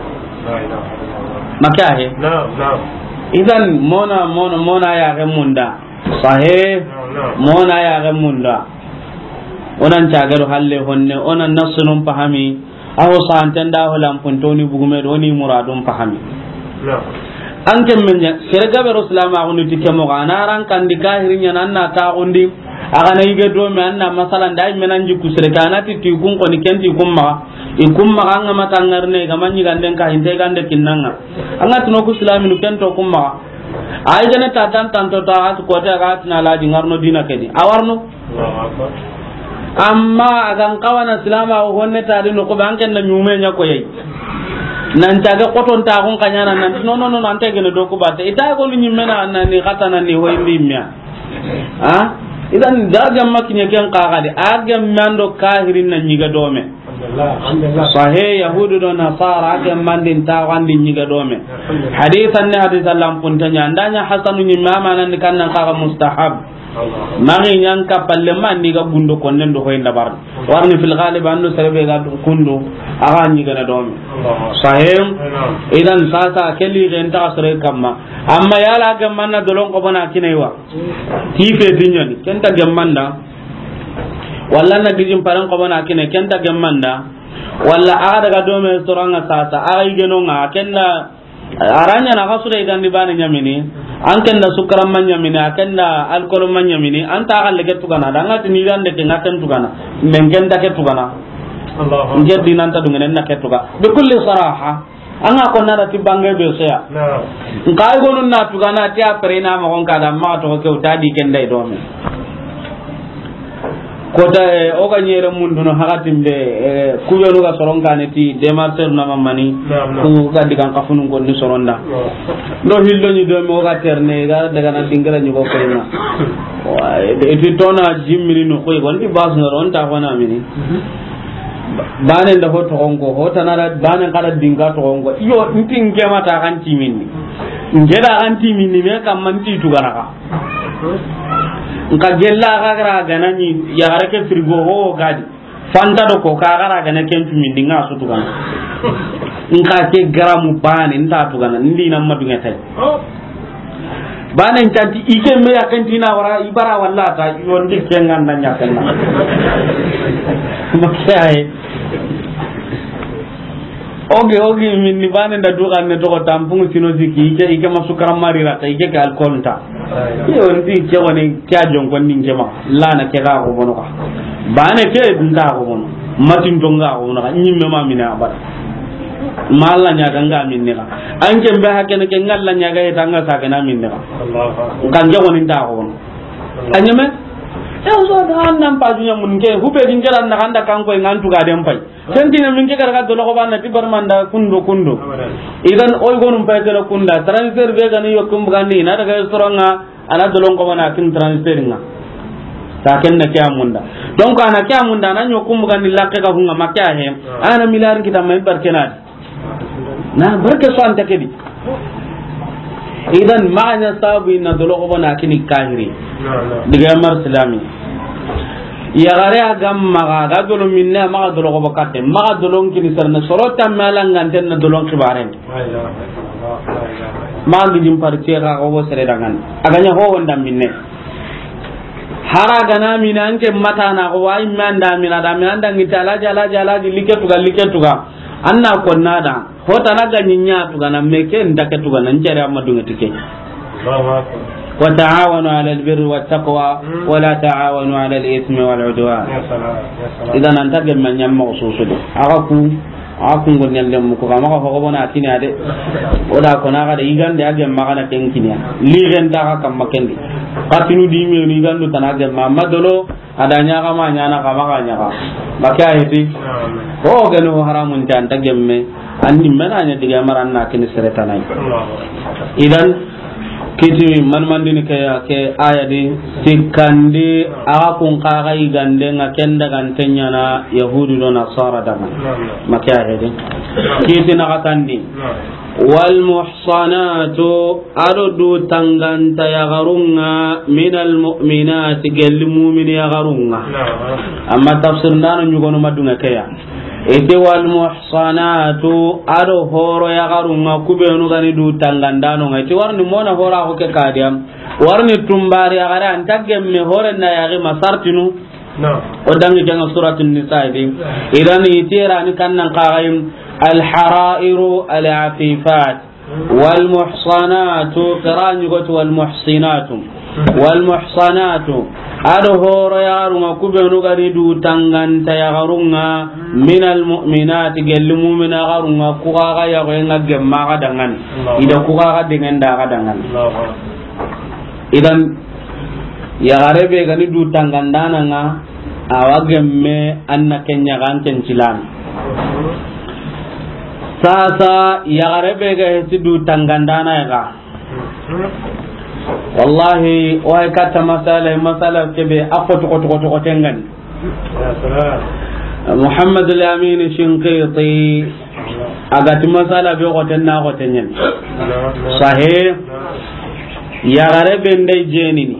Maka he. Naam, naam. Idan mona, mona, mona ya ga munda. Sahih. Naam, naam. Mona ya ga munda. Onan cagado halle honne, onan nassunun pahami. Aho santen da ho lampuntoni bugume do ni muradun pahami. An ke men ɲa, sere gabe ro silama ko ni tike mo ga, na ran kandi kahiri ɲa nan na ta gundi, a ga na yige do me an na masalan da men an jiku sere ka na ti ti kun ko ni kenti kun ma, i kun ma an ga mata ngarne ga man ɲiganden ka hinte gande kinnanga. An ga tuno ku silaminu kento kun ma. Ay gane ta tan tan to ta at ko ta ga tna la di ngarno dina kedi. Awarno. Amma a gan kawana silama o honne ta di no ko ban ken da ɲume ɲa ko yayi. Nan ta ga koton ta gon kanyana nan no no no nan te gene do ko batte. Ita ko ni ɲimme na nan ni kata nan ni hoyndi miya. Ha? Idan da ga makine ken kaga de. A ga mando kahirin nan ɲiga dome. Sahe Yahudu do Nasara ke mandin ta wandi ɲiga dome. Hadithan ne hadithan lampuntanya. Andanya hasanu ni mama nan kan nan kaga mustahab. Magi ɲan ka palle man ni ga gundo konnen do hoy ndabar. Warni fil ghalib ando serebe ga kundo aga ɲiga na dome. Sahe. Idan sasa keli gen ta sere kamma. Amma yala ga manna dolon ko bona kinaiwa. Ti fe tinyani kenta gemmanda. Walla na gijin paran ko bona kine kenta gemmanda. Walla aga daga dome soranga sasa aga igenonga kenda aranya na kasure igandi bane ɲamini. An kenda sukara man ɲamini, a kenda alcohol man ɲamini. Anta aga lege tugana danga tini gande ke ngaken tugana. Men kenda ke tugana. Nge dinanta dungene na ke tuga. Bi kulli saraha. Anga ko nara ti bange be soya. Nka ay gonu na tugana ti a pere na ma gon kada ma to ke uta di kenda dome. Kota, eh, o ga ɲere mundu no hakatin be, eh, kubenu ga soron kane ti demarcher na mamani. Ku ga digan kafunun ko ni soronda. Do hillo ni dome o ga terne ga daga na dingara ni ko ko na. Wa, e ti tona jimmini no ko gon ti bas no ron ta fana mini. Bane nda ho toxon ko, ho tanara bane kada dinga toxon ko. Iyo, nti nge mata kan timini. Nge da kan timini me kam man ti tugana ka. Nka gella ga gara ganani ya gara ke frigo ho gadi. Fanta do ko ka gara gana ken timini nga su tugana. Nka ke garamu bane nta tugana ndi na madunga tay. Bane ncanti ike me ya kenti na wara ibara walla ta yondi kengan na ɲakenna. Maksay. Oge, oge, min ni bane nda dugan ne to tampungu sino siki ike, ike masukara mari rata ike ke alcohol nta. Iyo, nti ke woni ke a jonkon din ke ma. Lana ke ga ko bono ka. Bane ke nta ko bono. Matin to nga ko bono ka. Nyimme ma mina abada. Ma Allah ɲa ga nga minne ka. An ke be hakene ke nga Allah ɲa ga ita nga sa ke na minne ka. Kan ke woni nta ko bono. Anyame. E o so da an nan pa dunya mun ke. Hube din ke ran na kanda kan ko ngan tu ga den pai. Ken ti na min ke kara ga dolo ko banna ti barmanda kundo kundo. Idan oy gonum pay kala kunda. Transfert be gani yokkum bugandi na daga restaurant nga, ana dolon ko bana kin transfert nga. Ta ken na ke a munda. Donc ana ke a munda na yokkum bugandi lakke ga hunga makke a he. Ana milliard kita may barkenadi. Na barke so anta kedi. Idan maana sabu inna dolo ko bona kini kahiri. Diga mar islami. Ya gare a gam maga ga dolo minne maga dolo ko bakatte maga dolon kini sarna soro tamma langanten na dolon kibaren. Maga gidin partie ga ko sere dangan. Aganya ho wonda minne. Hara gana mina anke mata na ko wai manda mina da mina dangi tala jala jala di liketuga liketuga. Anna konna da. Hota na ga nyinya tugana me ke nda ke tugana ncere amma dunga tike. Allahu akbar. Wa ta'awanu 'alal birri wat taqwa wa la ta'awanu 'alal ithmi wal 'udwan. Ya salam, ya salam. Idan anta gemme nyamma ko susu de. Aga ku, aga ku ngon nyalle mu ko kama ko ko bona kini ade. O da ko na ga de igande age magana ken kini ya. Li gen ta ga kam makendi. Katinu di mi ni gandu tana gemma madolo. Ada ɲaga ma ɲana kama ga ɲaga. Baka heti. Ko gani ho haramun ta anta gemme. Andi mena ɲa diga maran na kini sere tanai. Idan kiti man mandini ke ya ke aya di sikandi aga kun kaga igande nga kenda gantenya na yahudi do nasara daga. Maka heti. Kiti na katandi. Wal muhsanatu, ado du tanganta yagarunga, minal mu'minati, gelli mu'mini yagarunga. Amma tafsir ndano nyugono madunga keya. Ite wal muhsanatu, ado horo yagarunga, kubenu gani du tangandano nga. Ite warni mona hora ko ke kadiam. Warni tumbari yagare anta gemme hore na yagi masartinu. O dangi janga suratul nisa di. Idan itira ni kannan qaraim al harairu al afifat. Wal muhsanatu, qira'an yugo ti wal muhsinatu. Wal muhsanatu, ado horo yagarunga kubenu gani du tanganta yagarunga minal mu'minati, gelli mu'mina yagarunga kugaga yago nga gemma ga dangani. Ida kugaga dengenda ga dangani. Idan yagare be gani du tangandana nga. Awa gemme anna kenya ga an ken cilami. Sasa yagare be ga heti du tangandana ya ga. Wallahi o hay katta masala masala kebe a ko to ko to ko tengani. Muhammad al-Amin Shinqiti agati masala be ko tenna ko tenyen. Sahih. Yagare be ndai jenini.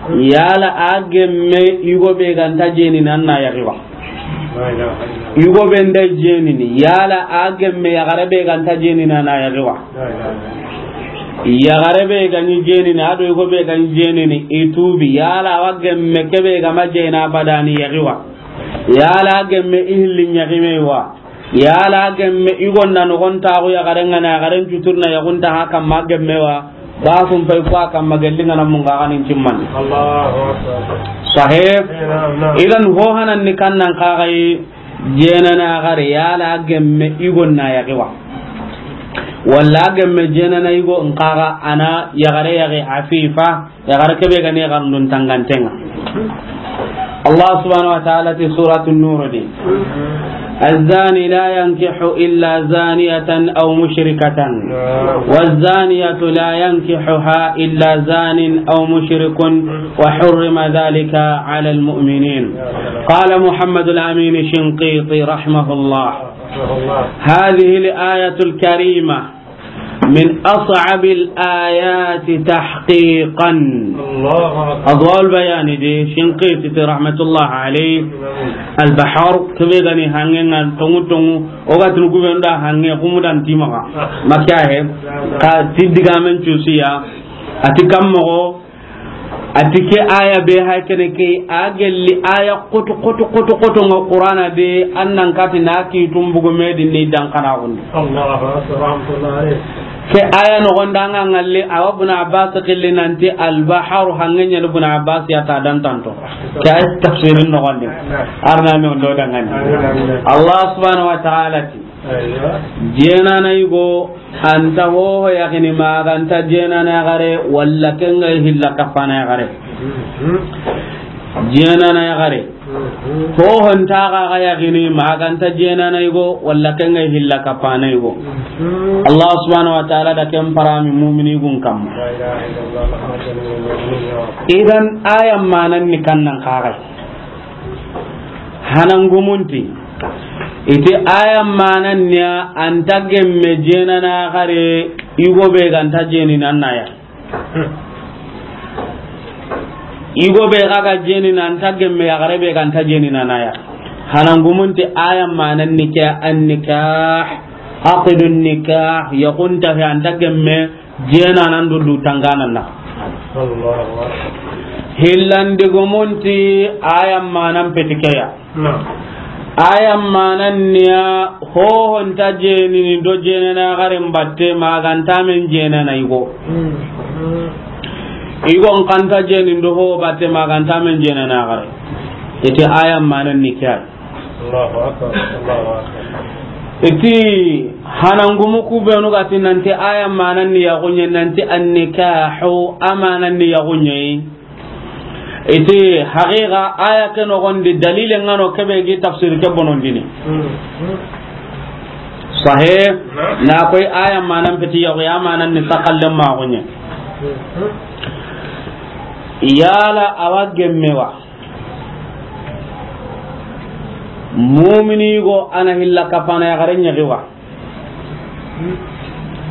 Yala a gemme yugo be ganta jeni nan na yagi wa. Yugo be nda jeni ni yala a gemme yagare be ganta jeni nan na yagi wa. Yagare be gani jeni na ado yugo be gani jeni ni itubi yala wa gemme kebe gama jena badani yagi wa. Yala a gemme ihli nyagi me wa. Yala gemme igonda no gonta go yagaren ngana yagaren cuturna yagunta ha kamma gemme wa. Ba sun fay ko kamma gelli ngana mun ga ganin cimman. Allahu akbar. Sahih. Idan ho hanan ni kannan kagai jenana gare yala gemme igonna yagi wa. Walla gemme jenana igo nkaga ana yagare yagi afifa. Yagare kebe gani yagarundun tangantenga. Allah subhanahu wa ta'ala ti suratu Nur di. الزاني لا ينكح إلا زانية أو مشركة والزانية لا ينكحها إلا زان أو مشرك وحرم ذلك على المؤمنين. قال محمد الأمين الشنقيطي رحمه الله: هذه الآية الكريمة من أصعب الآيات تحقيقا. Allahu akbar. Adwa'ul Bayan di Shinqiti ti rahmatullah alayh. Al Bahar kebe gani hange ngan tongu tongu o ga tunu gube nda hange kumu dan timaga. Makiya he ka tiddiga men cusiya ati kammo A ti ke aya be ha kene ke, a gelli aya koto, koto, koto, koto nga Qur'ana de, an nan kati na ki tumbugo me di ni dan kana gundi. Allahu akbar, rahmatullahi alayh. Ke aya no gonda nga ngalle, awa Ibn Abbas qilli nanti al-bahru, hangen ɲa Ibn Abbas ya ta dan tanto. Ke aya tafsirin no gonde. Arna no do dangani. Allah subhanahu wa ta'ala ti, Aywa. Jenana yugo, anta hoho yaxini ma ganta jenana yaxare, walla kenga hilla kapana yaxare. Mhm. Jenana yaxare. Mhm. Hoho nta ga yaxini ma ganta jenana yugo, walla kenga hilla kapana yugo. Mhm. Allah subhanahu wa ta'ala da ken parami mu'mini gun kamma. La ilaha illallah Muhammadur Rasulullah. Idan aya manan ni kannan kagai. Hanangumunti. Iti aya manan niya anta gemme jenana yaxare yugo be ganta jeni nanaya. Yugo be ga ga jeni nanta gemme yaxare be ganta jeni nanaya. Hanangumunti aya manan ni ke an-nikah, aqdun nikah, yaxunta he anta gemme jenanan do du tanganan na. Allahu akbar. Hillandi gumunti aya manan petikeya. Naam. Aya manan niya hoho nta jenini do jenana yaxaren batte ma ganta men jenana yugo. Mm. Yugo nkanta jenini do hoho batte ma ganta men jenana yaxare. Iti aya manan ni ke ay. Allahu akbar, Allahu akbar. Iti hanangumu ku benu ga ti nanti aya manan ni yaxunye, nanti an-nikahu, a manan ni yaxunye. Iti haqiqa aya ke noxondi dalile ngano kebe gi tafsir ke bonondini. Hmm. Sahih. Na koy aya manan peti yaxu ya manan ni sakalle ma yaxunye. Hmm. Yala awa gemme wa. Mumini go ana hilla kapana yaxare ɲaxi wa.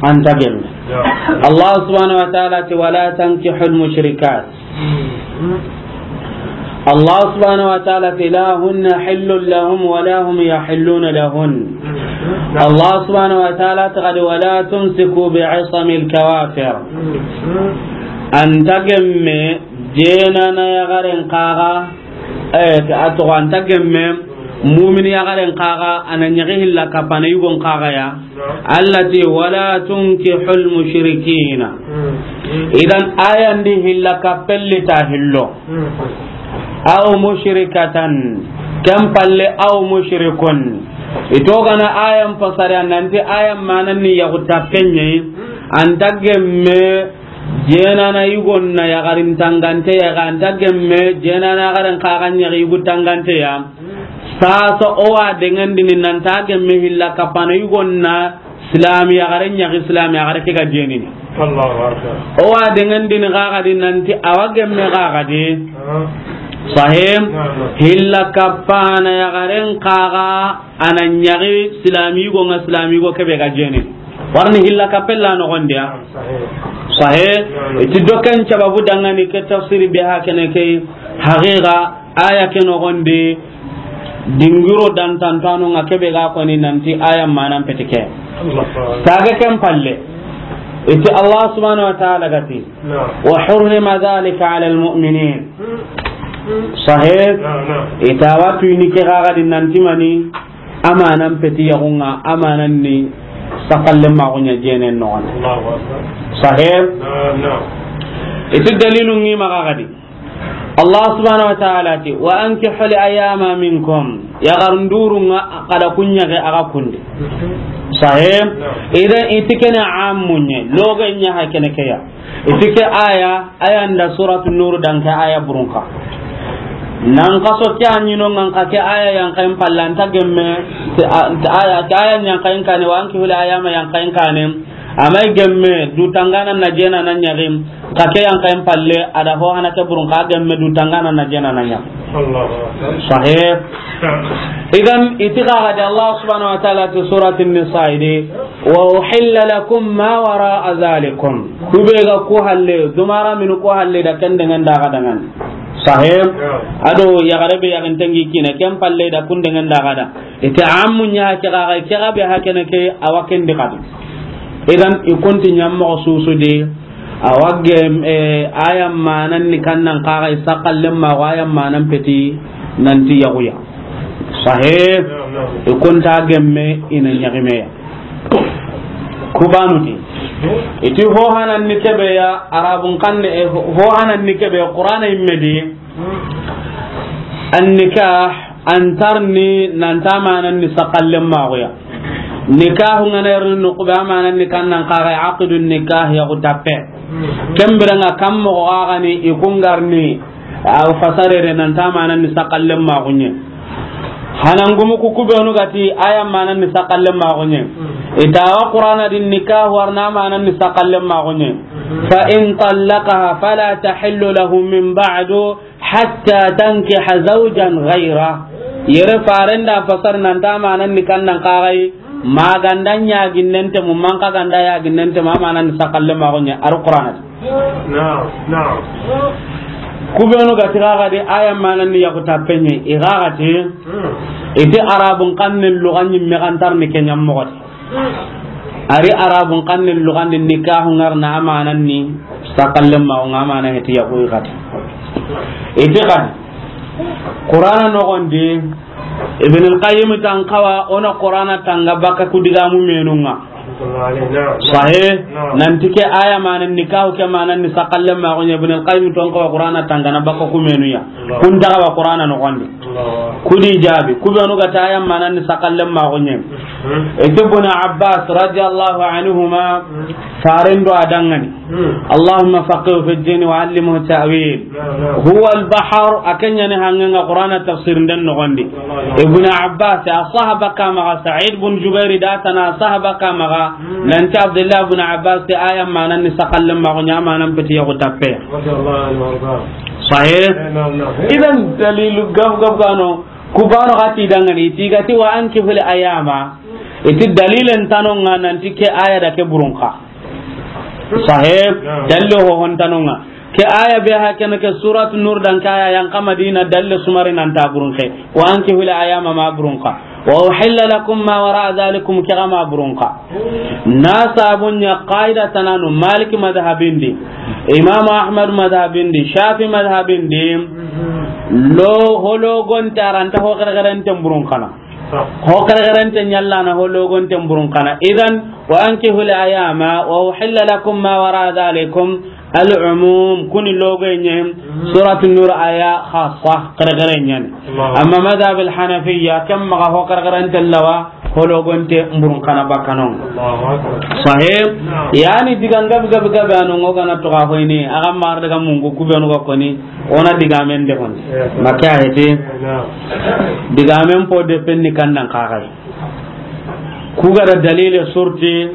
Anta gemme. Ya. Allah subhanahu wa ta'ala ti, "Wala tankihul mushrikat." Hmm. Allah subhanahu wa ta'ala ti, "La hunna hillun lahum wa la hum yahilluna lahun." Hmm. Allah subhanahu wa ta'ala ti kadi, "Wala tumsiku bi isamil kawafir." Hmm. Anta gemme jenana yaxaren kaga, eh, a toxo anta gemme, mumini yaxaren kaga, ana ɲaxi hilla kapana yugon kaga ya. Allah ti, "Wala tunkihul mushrikina." Hmm. Idan ayandi hilla kapelli ta hillo. Hmm. Aw mushrikatan, ken palle aw mushrikun. Ito gana ayan pasare nanti ayan manan ni yaxu tapenye, anta gemme jenana yugon na yaxarin tangante ya, anta gemme jenana yaxaren kaga ɲaxi yugu tangante ya. Sasa o wa dengandini nanta gemme hilla kapana yugon na silami yaxaren ɲaxi silami yaxare ke ga jenini. Allahu akbar. O wa dengandini kaga di nanti awa gemme kaga di. Ah. Sahim. Naam, naam. Hilla kapana yaxaren kaga ana ɲaxi silami yugo nga silami yugo kebe ga jenini. Warni hilla kapella noxondiya. Sahih. Sahih. Naam, naam. Iti doken sababu dangani ke tafsiri be ha kene ke haqiqa aya ke noxondi dingiro dantantano nga kebe ga koni nanti aya manan petike. Allah. Tage ken palle. Iti Allah subhanahu wa ta'ala gati. Naam. "Wa hurrima dhalika ala al-mu'minin." Hmm. Hmm. Sahih. Naam, naam. Ita watu ini ke ga di nanti mani amanan peti yaxunga amanan ni sakalle ma yaxunya jenen noxon. Allahu akbar. Sahih. Naam, naam. Itu dalilu ngi maxa di. Allah subhanahu wa ta'ala ti, "Wa ankihul ayama minkum." Yaxarun duru nga kada kunya ke aga kunde. Sahih. Naam. Idan iti kene amunye, loga nya ha kene ke ya. Iti ke aya, aya nda suratu Nur dan ke aya burunka. Nan kaso ke anyino ngan ka ke aya yan kayin palla anta gemme, te a-, te aya, te aya yan kayin kane, "Wa ankihul ayama" yan kayin kane. Amay gemme du tangana na jenana ɲaxim. Ka ke yan kayin palle, ada ho hana ke burun ka gemme du tangana na jenana ɲaxim. Allahu akbar. Sahih. Naam. Idan iti kaga di Allah subhanahu wa ta'ala ti surati Nisa idi, "Wa uhilla lakum ma wara'a zalikum." Kube ga ku halle, dumara min ku halle da ken dengan daga dangan. Sahih. Naam. Ado yaxare be yaxin tangi kine, ken palle da kun dengan daga da. Ite amu nya ke ga, ke ga be ha kene ke awa ken di kadi. Idan i konti nyam mo susu de. Awa gem, eh, aya manan ni kannan kaga i sakallen ma, aya manan peti nanti yaxuya. Sahe, i kunta gemme ina ñaximeya. Kubanuti. Iti ho hanan ni kebe ya, Arabun kanne, eh, ho hanan ni kebe, Qur'ana imme di. An nikah, an tarni, nanta manan ni sakallen maxuya. Nikahu ngana yarni nuqube, a manan ni kannan kaga aqdun nikah, yaxu tappe. Kembiranga kam moxo gagani i kungarni, a fasarere nanta manan ni sakallen maxuñe. Hanangumu ku kubenu gati aya manan ni sakallen maxuñe. Itawa Qur'ana din nikahu warna manan ni sakallen maxuñe. Fa in tallaqaha fala tahillu lahu min ba'du hatta tankiha zawjan ghayra. Yere farenda fasar nanta manan ni kannan kagai, maganda ñaginnente mu, manka ganda yaginnente ma, manan ni sakalle maxuñe ar Qur'ana. Naam, naam. Kubenu gati gagadi aya manan ni yaxu tappeñe, i gagati, iti Arabun kanne luga ñimme gantarni ke ñammoxoti. Ari Arabun kanne lugandi nikahu ngarna amanan ni sakallen ma, nga amana heti yaxu i gati. Iti gadi Qur'ana noxondi, Ibn al-Qayyim tan kawa, ona Qur'ana tanga baka ku digamu menunga. Sahe, nanti ke aya manan nikahu ke manan ni sakallen ma, Ibn al-Qayyim ton kawa Qur'ana tanga na baka ku menuya. Kun daga wa Qur'ana noxondi. Kudi jabi, kubenu gati aya manan ni sakallen maxuñe. Iti Ibn Abbas radiyallahu anhuma, farendo adangani. Allahumma faqihu fi ddin wa allimhu ta'wil. Huwa al-bahr, akeñani hangenga Qur'ana tafsir nden noxondi. Ibn Abbas a sahaba kamaga, Sa'id bin Jubair da tana sahaba kamaga, nanti Abdullah ibn Abbas ti aya manan ni sakallen maxuñe, amanan peti yaxu tappe. Sahe. Idan dalilu gab gab gano, kubano gati dangani, tigati wa ankihul ayama. Iti dalilen tanonga nanti ke aya da ke burunka. Sahe, dalile ho hon tanonga. Ke aya be ha ken ke Surat Nur dan kaya yan ka Madina, dalile sumari nanta burunke. Wa ankihul ayama ma burunka. Wa uhilla lakum ma wara'a dhalikum, ke ga ma burunka. Na sabunya qaida tananu Malik madhabindi, Imam Ahmad madhabindi, Shafi madhabindi, lo holo gonta ranta ho kare kare nten burunkana. Ho kare kare nten ñallana ho lo gonten burunkana. Idan, wa ankihul ayama, wa uhilla lakum ma wara'a dhalikum, al-umum, kuni logoye ñe, Suratu Nur aya khassa, kare kare ñani. Amma madhhab al-Hanafiyya, kam maga ho kare kare nten lawa, ho logonte mburun kana bakanon. Sahih? Yani digan gabi gabi gabi anu ngo gana to ga hoyni, aga mar daga mungu kubenu ga koni, ona digamen de hon. Makka hete. Digamen po de penni kannan kagai. Ku ga da dalile surti,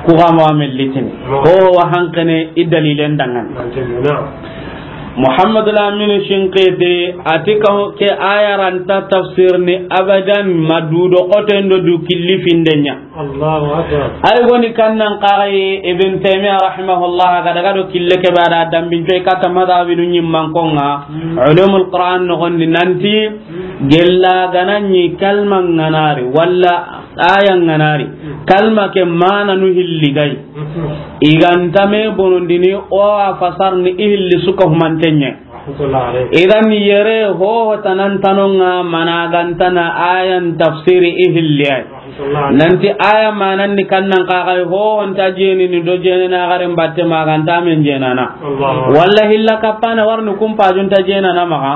ku ga ma me litini. Ko wa hankene i dalilen dangan. Muhammad al-Amin Shinqiti ati ka ke aya ranta tafsir ni abadan madudo koto ndo du killi findenya. Allahu akbar. Ay goni kannan qaray Ibn Taymiyyah rahimahullah ga daga do kille ke bara dambin coy kata madhabinu nyimman konga. Ulumul Quran no gondi nanti gella gananyi kalman nganari walla aya nganari, kalma ke mana nu hilli gay. Iganta me bonondini o a fasarni i hilli suka humantenye. Idan yere ho tanan tanonga mana gantana ayan tafsiri i hilli ay. Nanti aya manan ni kannan kagai ho nta jeni ni do jeni na garen batte maganta men jenana. Walla hilla kapana warnu kumpa junta jenana maga.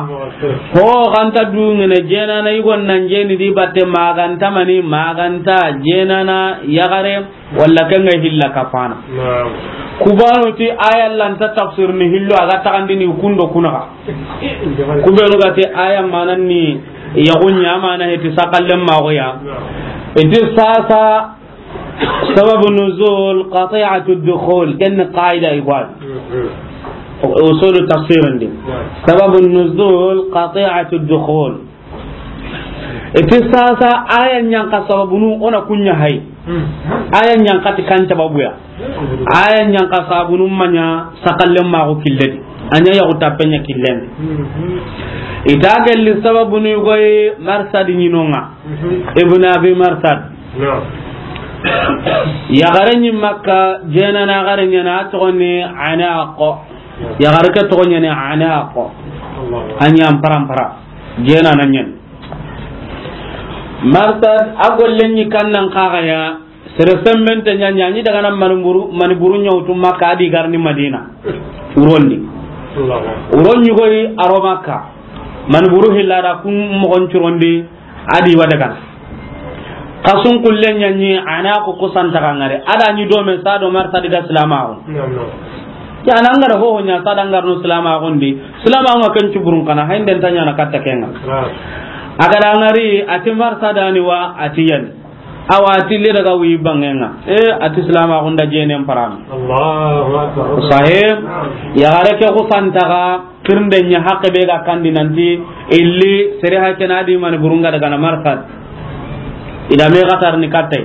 Ho ganta dungene jenana igon nan jeni di batte maganta mani maganta jenana yagare walla kenga hilla kapana. Kubano ti aya lanta tafsir ni hillo aga tagandini kundo kunaga. Kubenu ga ti aya manan ni yagunya mana heti sakallen magoya. Iti sasa sababu nuzul qati'atu dukhul ken qaida igwal. Usul tafsir ndi. Sababu nuzul qati'atu dukhul. Iti sasa aya nyanka sababunu ona kunya hay. Aya nyanka ti kan sababuya. Aya nyanka sababunu manya sakallen mago killedi. Anya yagu tapenya killen. Ita gelli sababunu goy Marsad nyinonga. Ibn Abi Marsad. Yaxare ɲi Makka, jeenana yaxare ɲaana, a toxo ni Anaqo. Yaxare ke toxo ɲaani Anaqo. A ɲa parampara. Jeenana ɲaani. Marsad, a golle ɲi kannan kaxaya, sere sembente ɲa ɲa ɲi daga na mani buru, mani buru ɲa wutu Makka, a di garni Madina. Wurondi. Wuron ɲi goyi a ro Makka. Mani buru hilla da kun moxon curondi, a di wa daga. Kasun kulle ɲa ɲi Anaqo kusantaxa ŋari. A da ɲi dome sa do Marsad ga silamaxu. Ya na ŋara ho ho ɲa sa da ŋarno silamaxundi. Silamaxu ŋa ken cuburun kana, haynden ta ɲaana katta kenŋa. A ga da ŋari, a ti Marsad ni wa, a ti yan. Awa, a ti le daga wi bangenŋa. E, a ti silamaxu nda jeenen parami. Allahu Akbar. Sahih. Yaxare ke kusantaxa, kirinde ɲa haqqe be ga kandi nanti, illi, sere ha ke na di mani burun ga daga na Marsad. I da me xatar ni kattay.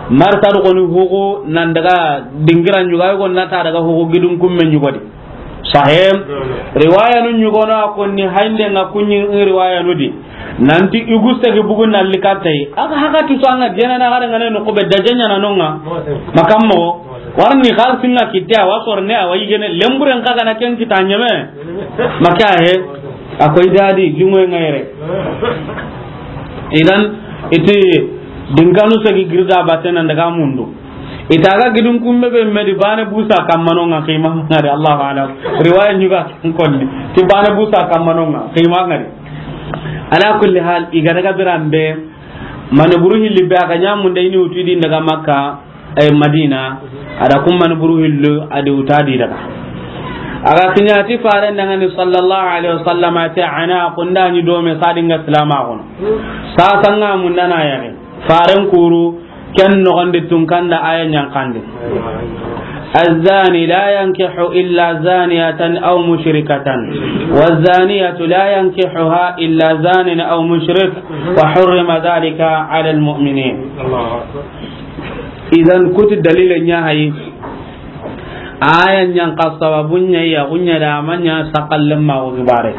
Marsad xoni hugu nan daga dingira ɲuga, yugo na ta daga hugu gidun kumme ɲugodi. Sahih. Riwayanu ɲugono a konni haynden ŋa kuɲi riwayanu di. Nanti i gu segi bugu nalli kattay. A ga haga tu so a ŋa jeenana yaxare ŋa ne no ko be da jeena na no ŋa. Makam mo. Warni xalisi ŋa kitte a wa sorne a wa yigene lemburen xa ga na ken kita ɲeme. Maka he. A koy dadi jungo ŋa yere. Idan iti dinkanu segi girda batte nan daga mundu. Ita ga gidun kumme be me di bane busa kammano ŋa xima ŋari, Allahu alam. Riwaya ɲuga konni. Ti bane busa kammano ŋa xima ŋari. Ala kulli hal, i ga daga biran be, mani buru hilli be a ga ɲa munda i ni wutu i di daga Makka, e, Madina, a da kun mani buru hillu a di wuta di daga. A ga kiɲa ti faren daga ni sallallahu alaihi wasallam, a ti Anaqo nda ɲi dome sa di ŋa silamaxu ŋa. Sa sa ŋa munda na yaxi. Faren kuru, ken noxondi tun kanda aya ɲankandi. الزاني لا ينكح إلا زانية أو مشركة، والزانية لا ينكحها إلا زان أو مشرك، وحرم ذلك على المؤمنين. Idan kuti dalile ɲa hayi. Aya ɲanka sababu ɲa ya gunya da manya sakallen ma o gibare.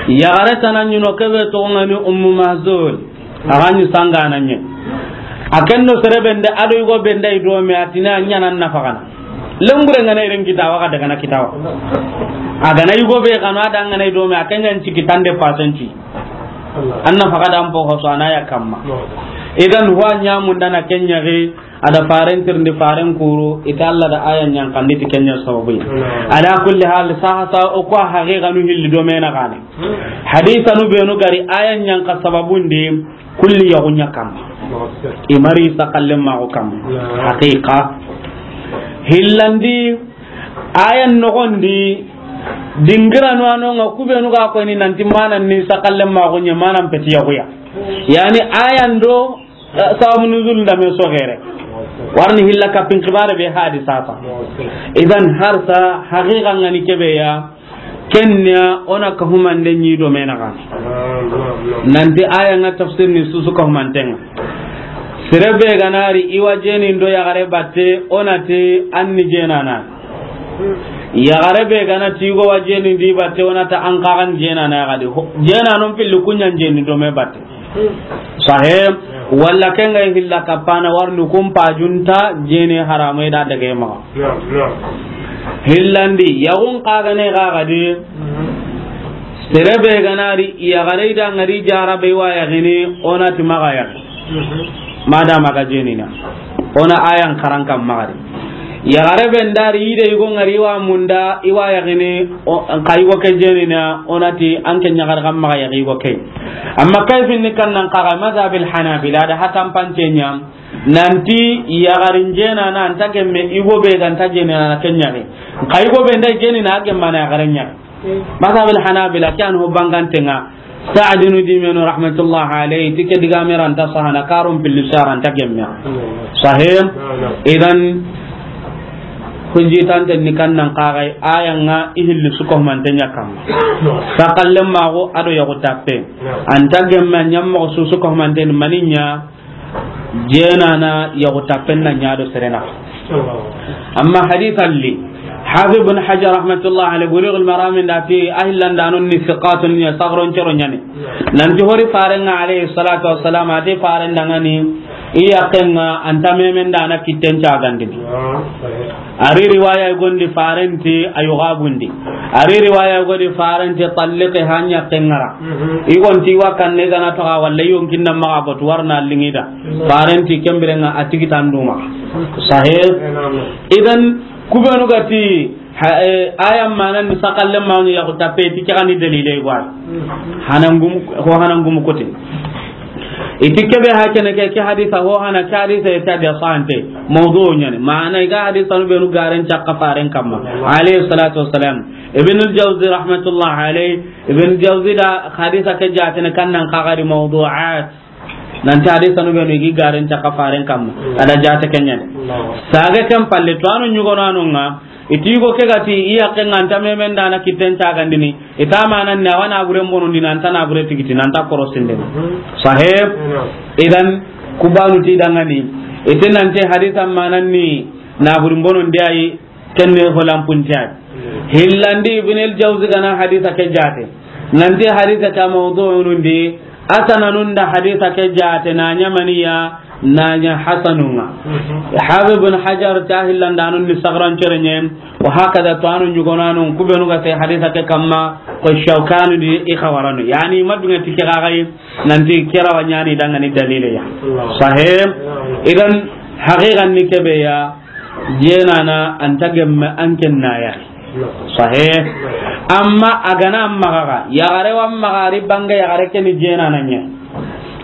Yaxare tana ɲi no kebe toxo ŋa ni Ummu Mahzun. A ga ɲi sangana ɲe. A ken do sere be nde a do yugo be nde i dome a ti na ɲaana nafa xana. Lembure ŋa na i ren kita wa ga daga na kita wa. A ga na yugo be xana a da ŋa na i dome a ken ɲa n ciki tande pasenci. An nafa ga da an po ho so a na ya kamma. Idan huwa ɲa munda na ken ɲa ge. A da faren tirindi faren kuru, ita Allah da aya ɲankandi ti ken ɲa sababu yi. Ala kulli hal, saha sa o ko haqiqanu hilli do mena gane. Hadisanu benu gari aya ɲanka sababundi kulli yaxu ɲa kamma. I mari sakallen maxu kamma. Haqiqa. Hillandi aya noxondi dingiranu a no ŋa kubenu ga koyni nanti manan ni sakallen maxu ɲa manan peti yaxuya. Yani ayan do Eh, sababu nuzul nda me sogere. Warni hilla kapin xibare be hadisa ta. Idan harsa haqiqa ŋa ni kebe ya. Kenya ona ka humande ɲi do mena ga. Nanti aya ŋa tafsir ni susu ka humantenga. Sere be ga na ri i wa jeni ndo yaxare batte ona ti an ni jenana. Yaxare be ga na ti i go wa jeni ndi batte ona ta an kaxan jenana ya gadi. Ho-, jena non pilli kuɲan jeni do me batte. Sahe, walla ken ga hilla kapana warni kun pajunta jene harame da daga maxa. Hillandi, yaxun xa ga ne ga gadi, sere be ga na ri, yaxare da ŋari jara be wa yaxini, ona ti maxa yaxi. Madama ga jenina. Ona ayan karan kan maxa ri. Yaxare be nda ri i de yugo ŋari wa munda i wa yaxini, o, ka yugo ke jenina, ona ti an ke ɲaxar kan maxa yaxi yugo ke. Amma kayfin ni kan nan kaga mazhabil Hanabila da hatan pance ɲa, nanti yaxarin jenana anta gemme yugo be ga nta jenana ke ɲaxi. Ka yugo be nda jenina a gemmana yaxaren ɲaxi. Mazhabil Hanabila ke an ho bangantenga. Sa'dinu dimenu rahmatullah alayhi, ti ke diga me ranta sahana karon pilli saranta gemme. Sahih. Idan hujji tante ni kan nan kagai aya ŋa i hilli su ko mante ɲa kamma. Sakallen maxu a do yaxu tappe. Anta gemme ɲa moxo su su ko mante ni mani ɲa. Jenana yaxu tappen na ɲa do serena. Amma hadith alli, Hafiz ibn Hajar rahmatullah alayhi, Bulughul Maram nda ti a hillandanon ni siqatun ni sagron cero ɲani. Nanti hori farenga alayhi salatu wassalam, ati faren dangani, I yaqqen ŋa, an ta memen da na kitten cagandini. A ri riwaya gondi farenti a yogo bundi. A ri riwaya gondi farenti tallike hanya kengara. I gon ti wa kanne gana to ga walla yonkin na maxa botu warna lingida. Farenti kembirenga a tigi tanduma. Sahih. Idan kubenu ga ti, ha, eh, aya manan ni sakalle mawni ya ko tape ti kani dalile gwa. Hanangum, ko hanangum kote. I ti kebe hakene ke, ke hadisa ho hana, ke hadisa ya ta da sante. Mawdu ɲani. Mana i ga hadisa nu benu garen cakka faren kamma. Alayhi salatu wassalam. Ibn al-Jawzi rahmatullah alayhi. Ibn al-Jawzi da hadisa ke jatene kannan kagari mawdu'at. Nanti hadisa nu benu i gi garen cakka faren kamma. Ada jate kenyani. Sage ken palle to anu ɲugo nanu ŋa. I ti go ke ga ti i yaqqen ŋa an ta memen da na kitten cagandini. I ta manan ni a wa na buren bonondi, nan ta na bure tigiti, nan ta korosinde. Sahih. Idan kubanu ti dangani. I ti nanti hadisa manan ni na buren bonondi ayi, kenne ho lampunti ayi. Hillandi Ibn al-Jawzi gana hadisa ke jate. Nanti hadisa ke mawdu'un ndi, asananun da hadisa ke jate na ɲa maniya, na ɲa hasanun ŋa. Hafiz Ibn Hajar ta hillandanun ni sagran cerenye, wa hakada to anu ɲugonanun kubenu ga te hadisa ke kamma, ko Shawkani di i xawaranu. Yani madunga ti ke gagai, nanti kera wa ɲani dangani dalile ya. Sahih. Idan haqiqan ni kebe ya, jenana an ta gemme an ken na ya. Sahih. Amma a gana maxa ga, yaxare wa maxa ri bange yaxare ke ni jenana ɲa.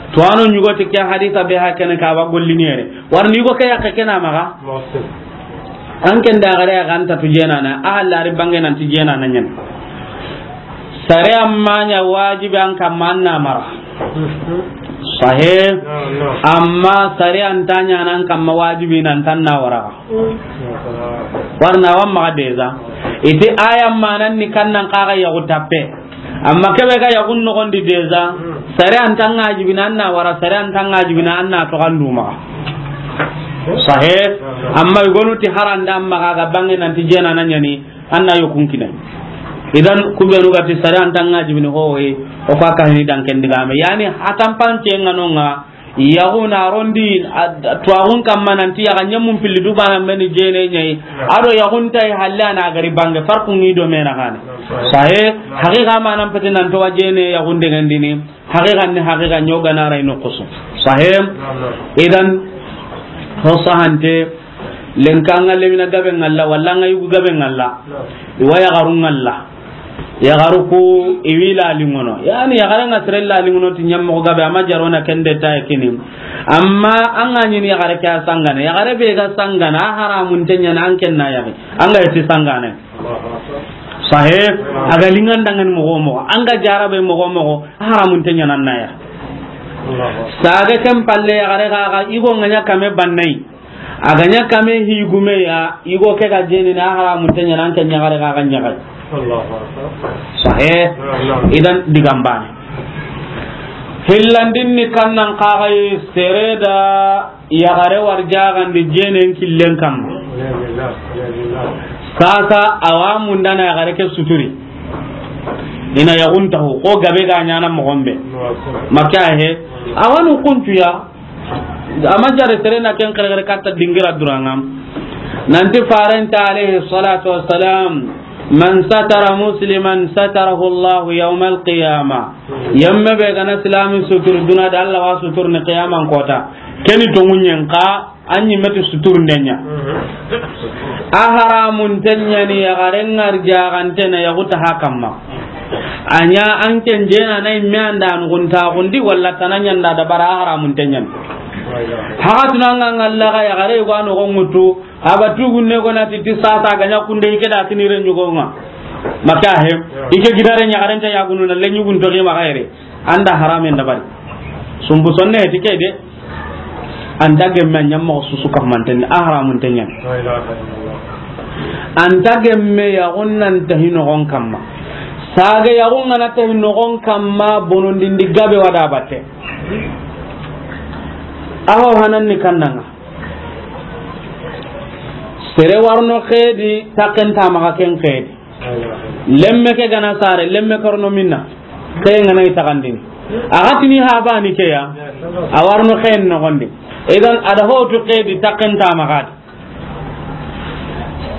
To ano ɲugo ti ke hadisa be hakene ka ba gollini yere. Warni yugo ke yakke ke na maxa. An ken da yaxare ga an ta tu jenana, a halla ri bange nan ti jenana ɲa. Sare amma ɲa wajibi an kamma an na mara. Sahih. Amma sare an ta ɲa nan kamma wajibi nan tan na wara. Warna wa maxa deza. I ti aya manan ni kannan kaga yaxu tappe. Amma kebe ga yaxun nogondi deza. Sare an tan ŋa jibina an na wara, sare an tan ŋa jibina an na to gandu maxa. Sahih. Amma i gonu ti haranda maxa ga bange nan ti jenana ɲani. An na yokun kine. Idan kubenu ga ti sare an tan ŋa jibini hoye, o ka kahini dan ken digame. Yani hatan pance ŋa no ŋa, yaxu na rondi, a, tuwaxun kamma nanti yaxa ɲemmun pilli du bana meni jene ɲayi. Ado yaxun tayi halle a na gari bange farqu ŋi do mena xane. Sahih, haqiqa manan pete nan to wa jene yaxun dengandini. Haqiqan ni haqiqa ɲogana ray no kusu. Sahih. Idan ho sahante, lenka ŋa lemina gabe ŋalla, walla ŋa yugu gabe ŋalla. I wa yaxaru ŋalla. Yaxaru ku i wi lalingono. Yani yaxare ŋa sere lalingono ti ɲammoxo gabe, ama jarona kende taye kini. Amma an ga ɲini yaxare ke a sangana. Yaxare be ga sangana, a haramun te ɲana an ken na yaxi. An ga yeti sangana. Sahih. A ga lingan dangani moxo moxo. An ga jarabe moxo moxo. A haramun te ɲana na ya. Sage ken palle yaxare ga, ga igo ŋa ɲa kame bannai. A ga ɲa kame higume ya, igo ke ga jeni na haramun te ɲana an ke ɲaxare ga ga ɲaxare. Sahih. Idan digambane. Hillandin ni kannan kagai sere da yaxare warjaxandi jenen killen kamma. Sasa awa mundana yaxare ke suturi. Ina yaxuntaxu, ko gabe ga ɲana moxonbe. Makka he. Awanu kuncuya. Ama jare sere na ken xerexere katta dingira durangam. Nanti farenta alayhi salatu wassalam, "Man satara musliman satarahu Allahu yawmal qiyamah." Yemme be gana silami sutur duna da Allah wa sutur ni qiyaman kota. Keni tongunyen ka, anyi meti sutur ndenya. A haramun tenya ni yaxare ŋa arjaxante na yaxuta hakamma. A ɲa an ken jena na imme anda nugunta gundi walla tana ɲanda da bara a haramun tenya ni. Haxatuna ŋa ŋalla ga yaxare yugo a noxo ŋutu, a ba tugunne go na ti ti sasa ga ɲa kunde i ke da kini re ɲugo ŋa. Makka he, i ke gidare ɲaxarenta yaxunu na le ɲugun to ke maxa yere. Anda haramen dabari. Sumbu sonne ti ke de. Anta gemme a ɲammoxo susu kammanten, a haramun tenya ni. Anta gemme yaxun nan tahi noxon kamma. Sage yaxun ŋa na tahi noxon kamma, bonondindi gabe wada batte. Aho hanan ni kannanga. Sere warno xedi, taken ta maxa ken xedi. Lemme ke gana sare, lemme korno minna. Ke ngana i taxandini. A ga tini ha bani ke ya. A warno xen noxondi. Idan, a da hotu ke di takken ta maxa di.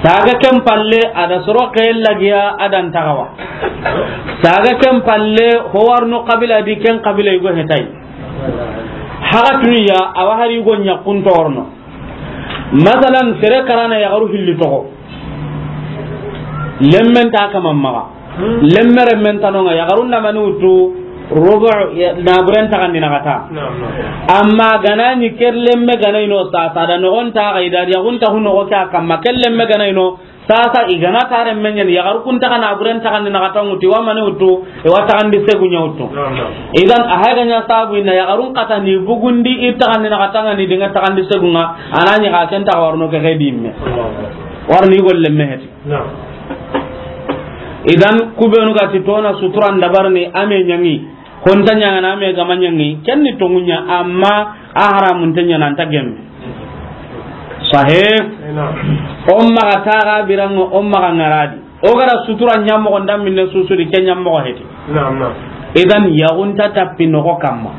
Saga ken palle, a da soro ke lagiya, a da nta xawa. Saga ken palle, ho warno kabila di, ken kabila yugo hetay. Haga tuniya, a wa hari yugo ɲakkun torno. Masalan, sere karana yaxaru hilli toxo. Lemmen ta kaman maxa. Lemme remmen tanonga, yaxarun da mani wutu, rubu, ya, naburen taxandi na xata. Naam, naam. Amma gana ni ker lemme gana ino sasa da noxon ta ga ida, yaxun ta hu noxo ke a kamma, ker lemme gana ino sasa, i gana ta remmen ɲani, yaxaru kun taxa naburen taxandi na xata wutu, wa mani wutu, i wa taxandi segu ɲa wutu. Naam, naam. Idan, a hay ga ɲa sabu ina yaxarun xata ni bugundi, i taxandi na xata nga ni dinga taxandi segunga, a na ɲi xa ken taxa warno ke xe di me. Naam, naam. Warni golle me heti. Naam. Idan, kubenu ga ti tona suturan dabarni, a me ɲangi, honta ɲangana, a me gama ɲangi, ken ni tongunya, amma a haramun te ɲana, anta gemme. Sahe? Naam. O maxa taga birango, o maxa ngaradi. O gara sutura ɲammoxo nda minne susudi, ke ɲammoxo heti. Naam, naam. Idan, yaxunta tapi noxo kamma.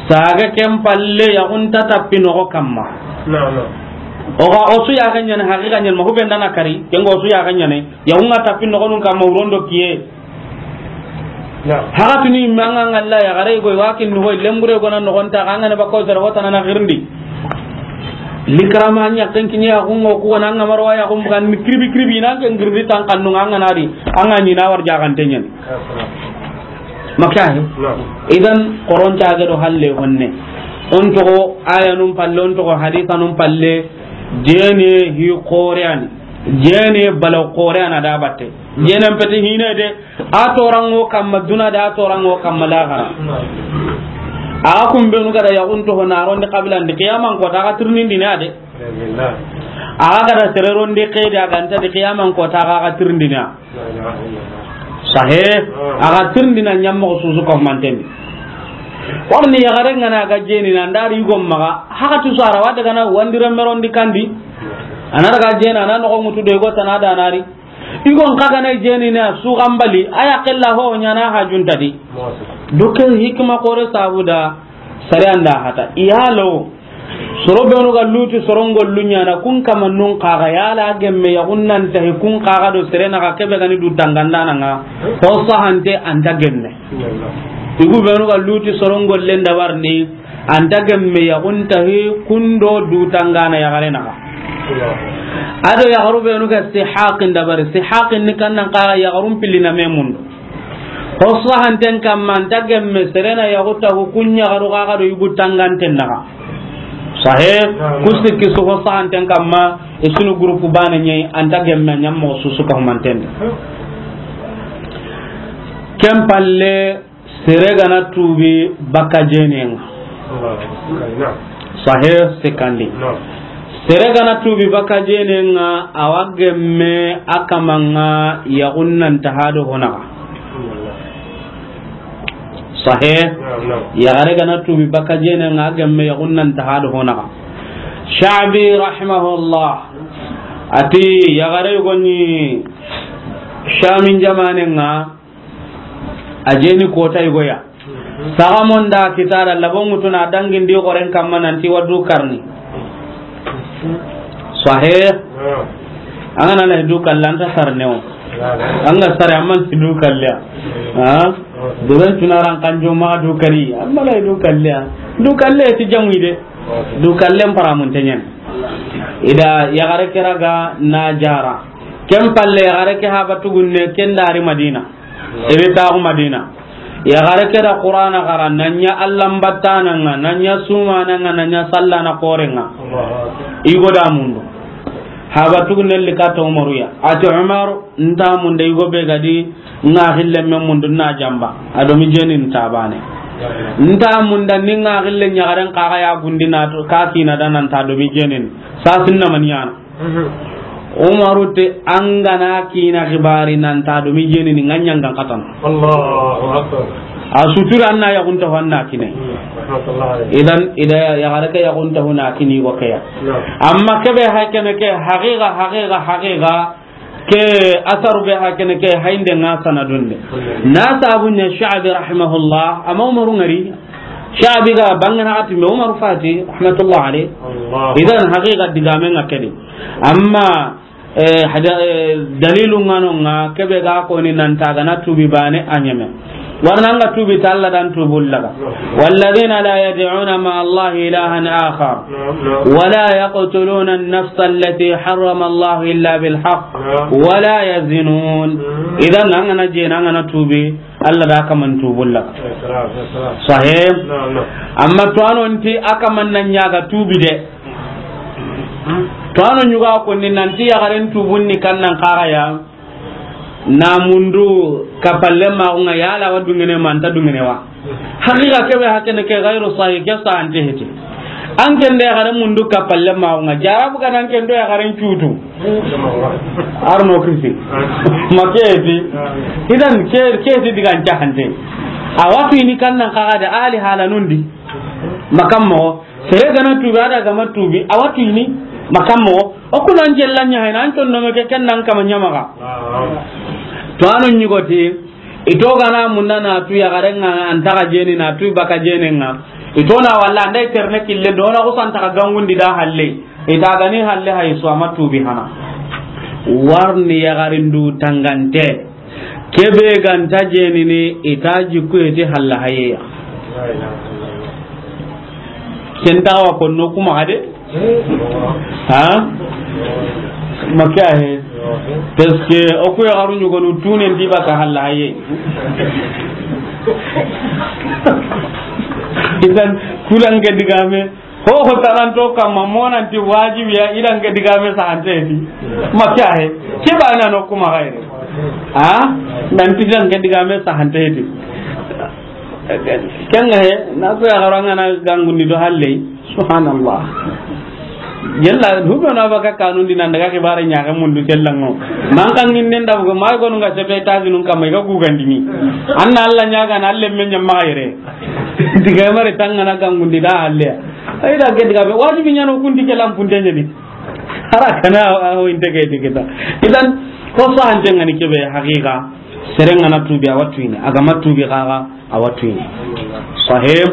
Saga ken palle, yaxunta tapi noxo kamma. Naam, naam. O ga o su ya ga ɲani, haqiqa ɲani, ma hubenda na kari, ken go su ya ga ɲani, yaxunga tapi noxonun kamma, urondo kiye. Naam. Haga tuni manga ngalla yaxare go, wa kin no lembure go na noxonta, ga ngana bakko sere hotana na girndi. Likrama ɲa ken kiɲe yaxungo ku na nga marwa yaxun bugan ni kribi kribi na ken girdi tan kannu nga na di, anga ni na war jaxante ɲani. Makahi. Naam. Idan, koron ta ga do halle honne. On toxo ayanun palle, on toxo hadisanun palle, jene hi qoreani. Jene bala qoreana da batte. Jene pete hine de, a torango kamma duna de, a torango kamma laxara. Naam. A kumbenu ga da yaxun toxo na rondi kabilan di, qiyaman ko ta ga tirnindini a de. Alhamdulillah. A ga da sere rondi ke di, a ga nta di, qiyaman ko ta ga tirindini a. Sahe, a ga tirindini a ɲammoxo susu ko mantendi. Warni yaxare ngana ga jeni na ndari yugo maxa, haga tu sara wa daga na wandire merondi kandi. Ana daga jena na noxo ŋutu de go tana da nari. Igon kaga na jeni na su gambali, aya qilla ho ɲana hajunta di. Doke hikma kore sabuda, sare anda hata. Iyalo, soro benu ga luti soron gollu ɲana, kun kama nun kaga yala gemme yaxun nan tahi kun kaga do sere na ga kebe gani du tangandana nga. Ho sahante anta gemme. Igu benu ga luti soron gollen dabarni, anta gemme yaxun tahi kundo du tangana yaxare na ga. Ado yaxaru benu ga sihaqin dabari, sihaqin ni kannan kaga yaxarun pilina memundo. Ho sahanten kamma, anta gemme serena yaxu taxu kun yaxaru xaxa do yugu tanganten naxa. Sahe, ku sikki su ho sahanten kamma, i sunu groupe bane ɲeyi, anta gemme ɲammoxo susu ka humanten. Ken palle, sere gana tubi baka jenenga. Sahe, sekandi. Sere gana tubi baka jenenga, awa gemme a kamanga yaxun nan taha do honaxa. Sahe. Yaxare gana tubi baka jenenga, a gemme yaxun nan taha do honaxa. Sha'bi rahimahullah ati yaxare goni Shamin jamanenga, a jeni kota yigoya. Saxamon da kitara labon ŋutuna dangindi xoren kamma nanti wa du karni. Sahe. An ga na la du kalle anta sarne o. An ga sare amman si du kalle. Ha? Doben tunaran kanjo ma du kari. Amma la du kalle. Du kalle ti jamu ide. Du kalle paramun tenyen. Ida yaxare keraga na jara. Ken palle yaxare ke haba tugunne ken dari Madina. Iri taxu Madina. Yaxare ke da Qur'ana xara, na ɲa Allan battananga, na ɲa sumananga, na ɲa sallana korenga. I go da mundu. Haba tugu nelli kata Umaru ya. Ati Umar, nta munda i go be gadi, nga xille me mundu na jamba. A do mi jeni nta bane. Nta munda ni nga xille ɲaxaren kaxa ya gundi na to, ka kina da nan ta do mi jenin. Sa sinna maniyana. Umaru te an ga na kina xibari nan ta do mi jeni ni nga ɲangan katan. Allahu Akbar. A sutura anna yaxun ta ho anna kine. Idan, ida yaxare ke yaxun ta ho na kini go keya. Amma kebe hay kene ke haqiqa, haqiqa, haqiqa, ke asaru be hay kene ke haynde nga sanadunde. Na sabu ne Sha'bi rahimahullah, amma Umaru ngari. Shaabi ga bangana ati me Umar Fati, rahmatullah alayh. Allah. Idan haqiqa digame nga kedi. Amma, eh, hada-, eh, dalilu nga no nga, kebe ga ko ni nan ta ga na tuubi bane a ɲeme. Warna nga tuubi ta Alla dan tuubu laga. Walladhina la yad'una ma'a Allahi ilahan akhar. Na'am, na'am. Wa la yaqtuluna an-nafsa allati harrama Allahu illa bil haqq. Na'am. Wa la yaznun. Mm. Idan an ga na je, an ga na tuubi, Alla da kaman tuubu laga. Salam, salam. Sahih. Na'am, na'am. Amma to ano nti a kaman nan ɲa ga tuubi de. To ano ɲuga ko ni nan ti yaxaren tuubun ni kannan kaga ya. Na mundu kapalle ma nga yala wa dungene ma nta dungene wa. Haqiqa kebe hakene ke gairu sahih, ke sahante heti. An ken de yaxare mundu kapalle ma nga jarabu ga nan ken do yaxaren cutu. Arno kisi. Ma ke heti. Idan ke, ke heti digan cahante. A wa tu ini kannan kaga da ali hala nundi. Makammo. Sere ga na tuubi, a da ga ma tuubi, a wa tu ini, makammo. O kunan jella ɲa hayna, an ton no me ke ken nan kama ɲamaga. To ano ɲugoti, ito ga na munna na tu yaxaren nga, an ta ga jeni na tu baka jenen nga. Ito na walla an da i terne kille, do na ko san ta ga gangundi da halle. Ita ga ni halle hay so a ma tuubi hana. Warni yaxarin du tangante. Kebe ga nta jenini, ita jikku iti halla hayeya. Ken ta wa konno kuma hade? Ha? Maka he. Parce que o ku yaxaru ɲugonu tunen di baka halla haye. Idan kulan ke digame. Ho, ho taranto kamma, mo nan ti wajibi ya, i dan ke digame sahante heti. Maka he. Ke ba na no kuma gaire. Ha? Nan ti dan ke digame sahante heti. Ken ga he, na ko ya garanga na gangundi do halle. Subhanallah. Yalla, hube na baka kanun di nan daga kibare ɲaga mundu kellango. Man kan ngin den da ko ma ko nga sepe ta zinun kamma ga gugandini. Anna Alla ɲaga na Alla men ɲamma gaire. Diga mare tangana gangundi da halle. Ay da ke diga be wajibi ɲano kundi ke lampunte ɲani. Hara kana a ho inte ke digita. Idan ko sahante ngani kebe haqiqa. Sere ngana tuubi a wa tu ini. A ga ma tuubi kaga a wa tu ini. Sahih.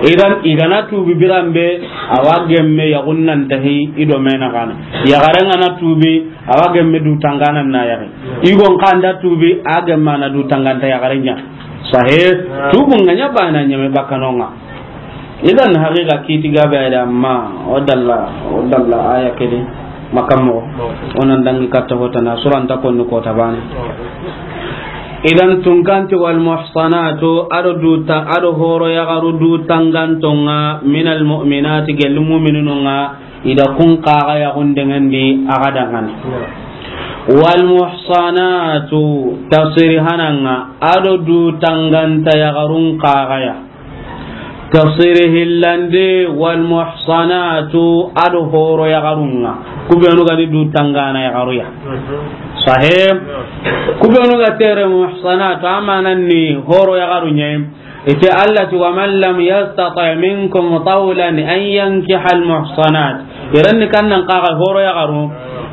Idan i ga na tuubi biranbe a wa gemme yaxun nan tahi i do mena kana. Yaxare ngana tuubi a wa gemme du tangana na yaxi. I gon kanda tuubi a gemme na du tanganta yaxare ɲa. Sahih. Tuubu nga ɲa bana ɲeme bakanonga. Idan haqiqa kiti gabe ay da amma o dalla, o dalla aya kedi makammo. Onan dangi katta hota na suranta konni kota bane. Idan tunkanti wal muhsanatu ado du ta-, ado horo yaxaru du tangantonga minal mu'minati gel mu'minununga ida kun kaga yaxun dengendi aga dangani. Wal muhsanatu tafsiri hananga ado du tanganta yaxarun kaga ya. Tafsiri hillandi, wal muhsanatu, ado horo yaxarunga. Kubenu gadi du tangana yaxaruya. Sahih. Kubenu ga tere muhsanatu, amanan ni horo yaxarunya. Ite Allah ti, wa man lam yastati minkum tawlan an yankiha al muhsanat. Iranni kannan kaga horo yaxaru.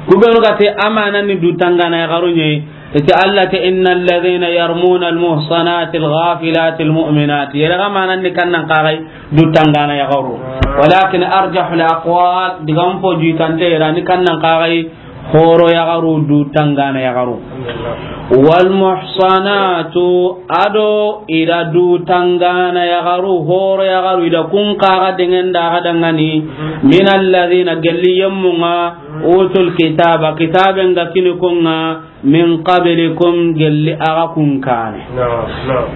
Kubenu ga te amanan ni du tangana yaxarunya. Iti Allah te, innal ladhina yarmuna al muhsanati al ghafilati al mu'minati. Yere ga manan ni kannan kagai du tangana yaxaru. Walakin arjahul aqwal, digam po juitante yere ni kannan kagai horo yaxaru du tangana yaxaru. Wal muhsanatu, ado ida du tangana yaxaru, horo yaxaru ida kun kaga dengenda ga dangani. Min alladhina, gelli yemmunga, utul kitaba, kitaben ga kini kunga, min qablikum, gelli aga kun kane. Naam, naam.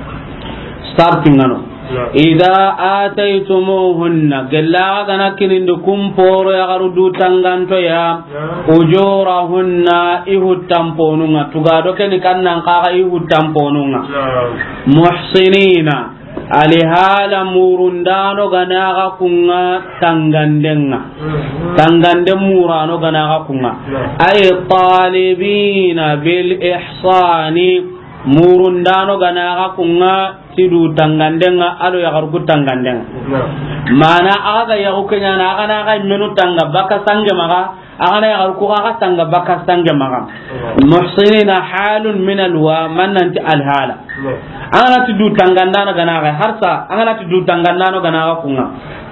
Sarti ngano. Naam. Idha ataytumuhunna, gelli aga gana kinindi kun poro yaxaru du tanganto ya. Naam. Ujurahunna, i huttanponunga. Tugado keni kannan kaga i huttanponunga. Naam. Muhsinina, alihala murundano ganaga kunga tangandenga. Mhm. Tangande murano ganaga kunga. Naam. Ay talibina bil ihsani, murundano ganaga kunga tidu tangandenga, ado yaxarku tangandenga. Naam. Mana aga ga yaxu kenyana, aga na ga menu tanga baka sange maga, A ga na yaxaru ku xa tanga baka sange maxa. Muhsinina, halun min alwa, man nanti alhala. A ga na ti du tangandano ga na xa, harsa, a ga na ti du tangandano ga na xa kunŋa.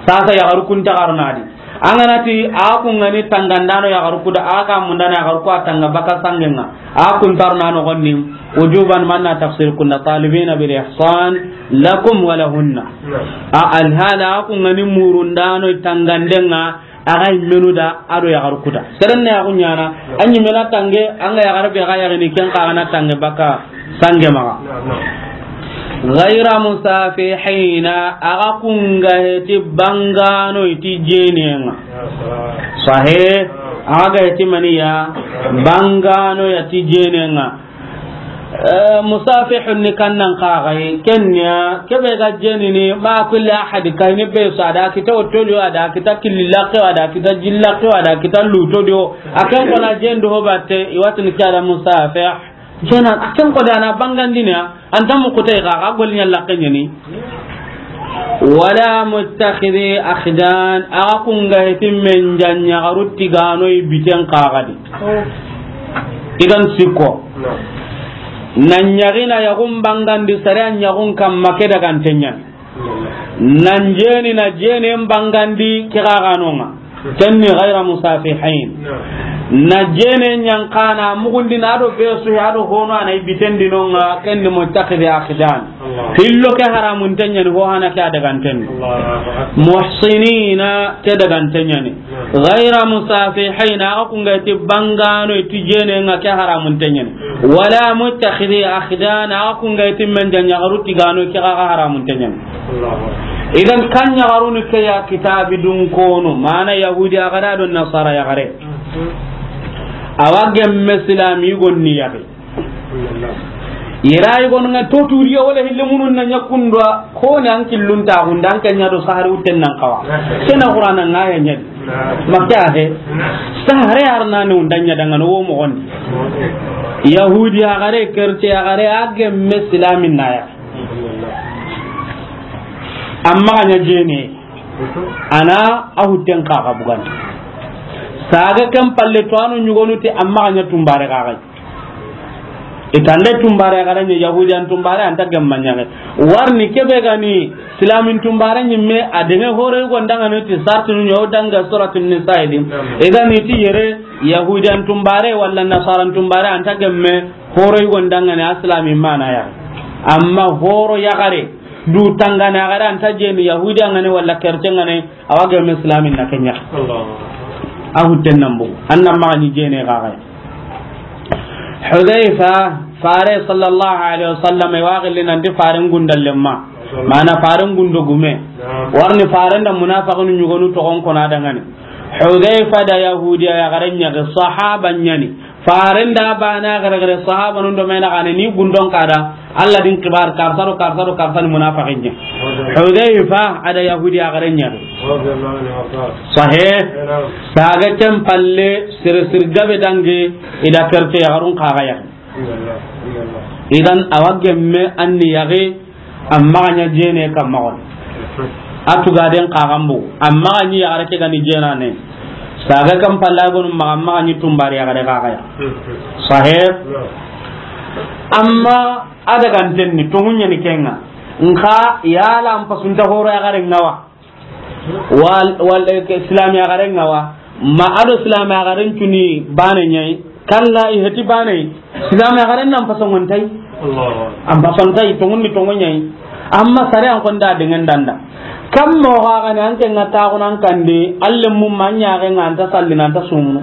Sasa yaxaru kun ta xaruna di. A ga na ti a kun ga ni tangandano yaxaru ku da, a ga mundana yaxaru ku a tanga baka sangenŋa. A kun ta xaruna no gonni. Wujuban, man na tafsir kunda, talibina bil ihsan lakum wa lahunna. A alhala a kun ga ni murundano tangandenŋa, a ga yimmenu da, a do yaxaru ku da. Seren na yaxu ɲaana, a ɲimmena tange, an ga yaxare be ga yaxini ken xa ga na tange baka sange maxa. Ghayra musafihina, a ga kun ga heti bangano i ti jenenŋa. Sahe, a ga heti maniya bangano ya ti jenenŋa. Eh, musafihun ni kannan kaxay, kenya, kebe ga jenini, ma kulli ahad, kayni be so, a da kita otoli, a da kita killi lakke, a da kita jillake, a da kita luto do. A ken ko na jendo ho batte, i wa tini ke ya da musafih. Jena, a ken ko da na bangandina, anta mu kutai ga, ga gol nya lakke nyani. Wala muttakhidhi akhdan, a ga kun ga heti men janya garu tigano i biten kaxadi. Idan sikko. Nan ɲaxina yaxun bangandi sare a ɲaxun kamma ke daganten ɲa. Nan jeni na jeni en bangandi ke xa ganonŋa. Ken ni ghayra musafihin. Na jeni ɲankana mugundi na do be su ya do hono a na i biten dinonŋa, ken ni muttakhidhi akhdan. Hillo ke haramunten ɲa ni, ho hana ke a daganten ni. Muhsinina, ke daganten ɲa ni. Ghayra musafihina, a ga kun ga ti bangano i ti jenenŋa, ke haramunten ɲa ni. Wala muttakhidhi akhdan, a ga kun ga ti men janya garu tigano, ke ga haramunten ɲa ni. Idan kan ɲaxaruni ke ya kitabi dun kono, mana yahudi a ga da do nasara yaxare. A wa gemme silami gonni yaxi. Yera yi gon nga to turiya wala hille munun na ɲakundwa, ko ne an killun ta gunda an kanya do sahari uten nan kawa. Kena Qur'ana nga ya ɲa di. Makka he. Sahare arna ne undanya dangano wo mo gondi. Yahudi a gare, kerte a gare, a gemme silamin na ya. Amma ga ɲa jene. Ana a hutten kaxa bugandi. Saga ken palle to anu ɲugonu ti amma ga ɲa tumbare kaxa. Itande tumbare ga ɲa yahudiyan tumbare anta gemma ɲa. Warni kebe gani silamin tumbare ɲimme a denge hore go ndanga ne ti sartinu ɲo danga suratul nisa idi. Igani ti yere yahudiyan tumbare wala nasaran tumbare anta gemme hore go ndanga ne aslami mana ya. Amma horo ya gare du tangana gare anta jeni yahudi angane wala kerte ngane. Awa gemme silamin na kenya. A hutten nan bugu. Annan maxa ni jene gaxay. Hudayfa, fare sallallahu alaihi wasallam, e wa gilli nanti faren gundallemma. Mana faren gundo gume. Warni faren da munafiqun ɲugonu toxon kona dangani. Hudayfa da yahudiya ya garen ɲa, sahaba ɲani. Faren da bana gare gare sahaba nun do mena gane ni gundon kada. Allah din kibar karsaro karsaro karsan munafiqin ɲa. Hudayfa ada yahudi a gare ɲa. Sahe. Saga ken palle sir sir gabe dange ida kerte ya garun kaga ya. Idan awa gemme anni yage. Amma ga ɲa jene kamma gon. A tugaden kagambu. Amma ga ɲi yagare ke gani jenane. Saga kan palla gonu maga amma ga ɲi tumbari yagare kaga ya. Sahib. Amma a daganten ni tongunya ni kenga. Nka yala am pasunta horo yagare ngawa. Wal, wal, eh, ke, Islam ya garen ngawa. Ma ado Islam ya garen cuni bane ɲai. Kalla i heti bane. Islam ya garen nan pasongon tai. Allahu Akbar. Am pason tai tongun ni tongon ɲai. Amma sare an konda dengan danda. Kam mo ga gani an ke ngata ko nan kande. Alle mum manya ga nganta salli nan ta sumunu.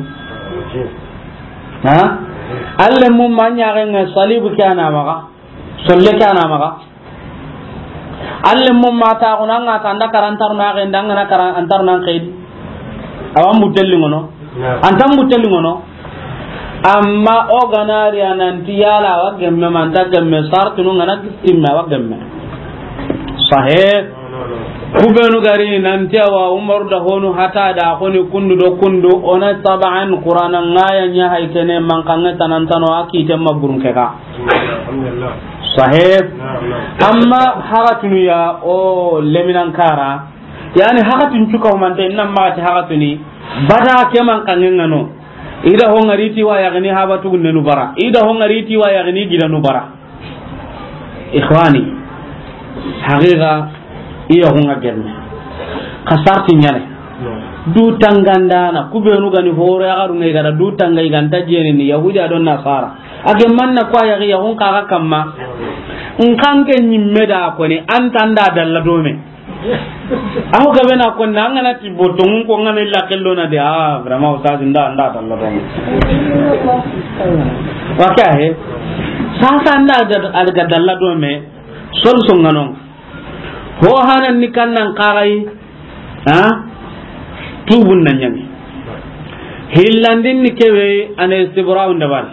Ha? Alle mum manya ga salibu kana maga. Solle kana maga. Alle mo mata ko nan ŋa ta anda karantar na ga ndanga na karan antar nan kaydi. Awan butelli ngono. Antan butelli ngono. Amma o ganari ananti yala wa gemme manta gemme sartunu ngana gistimme wa gemme. Sahe. Kubenu gari nanti awa Umaru da honu hata da honi kundu do kundu ona taban Qur'ana ngaya nya hay kene man kange tanantano akite maburun keka. Sahib. Amma hagatunu ya o leminan kara. Yani hagatun cuka humante nan magati hagatuni. Bada keman kangen ngano. I da ho ŋari ti wa yaxini haba tugunnenu bara. I da ho ŋari ti wa yaxini gidanu bara. Ikhwani, haqiqa, i yaxun ŋa gemme. Xa sarti ɲaana. Du tangandana, ku benu ga ni horo yaxaru ŋa i ga da du tanga i ga nta jeni ni Yahudi a do Nasara. A gemma na ku a yaxi yaxun xa ga kamma. N xa n ke ɲimme da koni, an ta nda dalla do me. Aho gabe na ko na ngana ti botongun ko ngana illa kello na de, ah, vraiment, ustaz, nda, nda dalla do me. Wa ke he? Sasa nda da, alga dalla do me. Sol so ngano. Ho hanan ni kannan kagai. Ha? Tubun na ɲaami. Hillandin ni kebe ane sibraun dabal.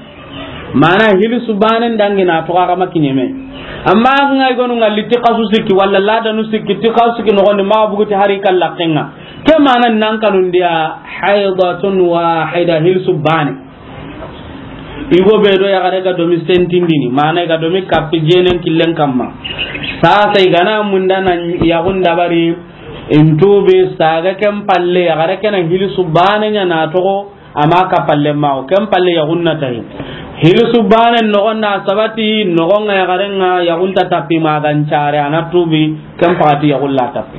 Mana hilisu banen dangi na toxo a ga ma kiɲeme. Amma ŋa i gonu ŋalli ti xasu sikki, walla ladanu sikki, ti xasu sikki noxondi, maxa buguti hari kalla kenga. Ke mana nan kanundiya, haydatun wahida, hilisu bane. I go be do yaxare ga domi sentindini, mana i ga domi kappi jenen killen kamma. Sasa i gana munda na yaxun dabari, in tubi saga ken palle, yaxare kena hilisu bane ɲa na toxo, Amma ka palle ma o, ken palle yaxun na tayi. Hilisu banen noxon na sabati, noxon ŋa yaxaren ŋa yaxun ta tapi ma gan care, a na tubi, ken paxati yaxun la tapi.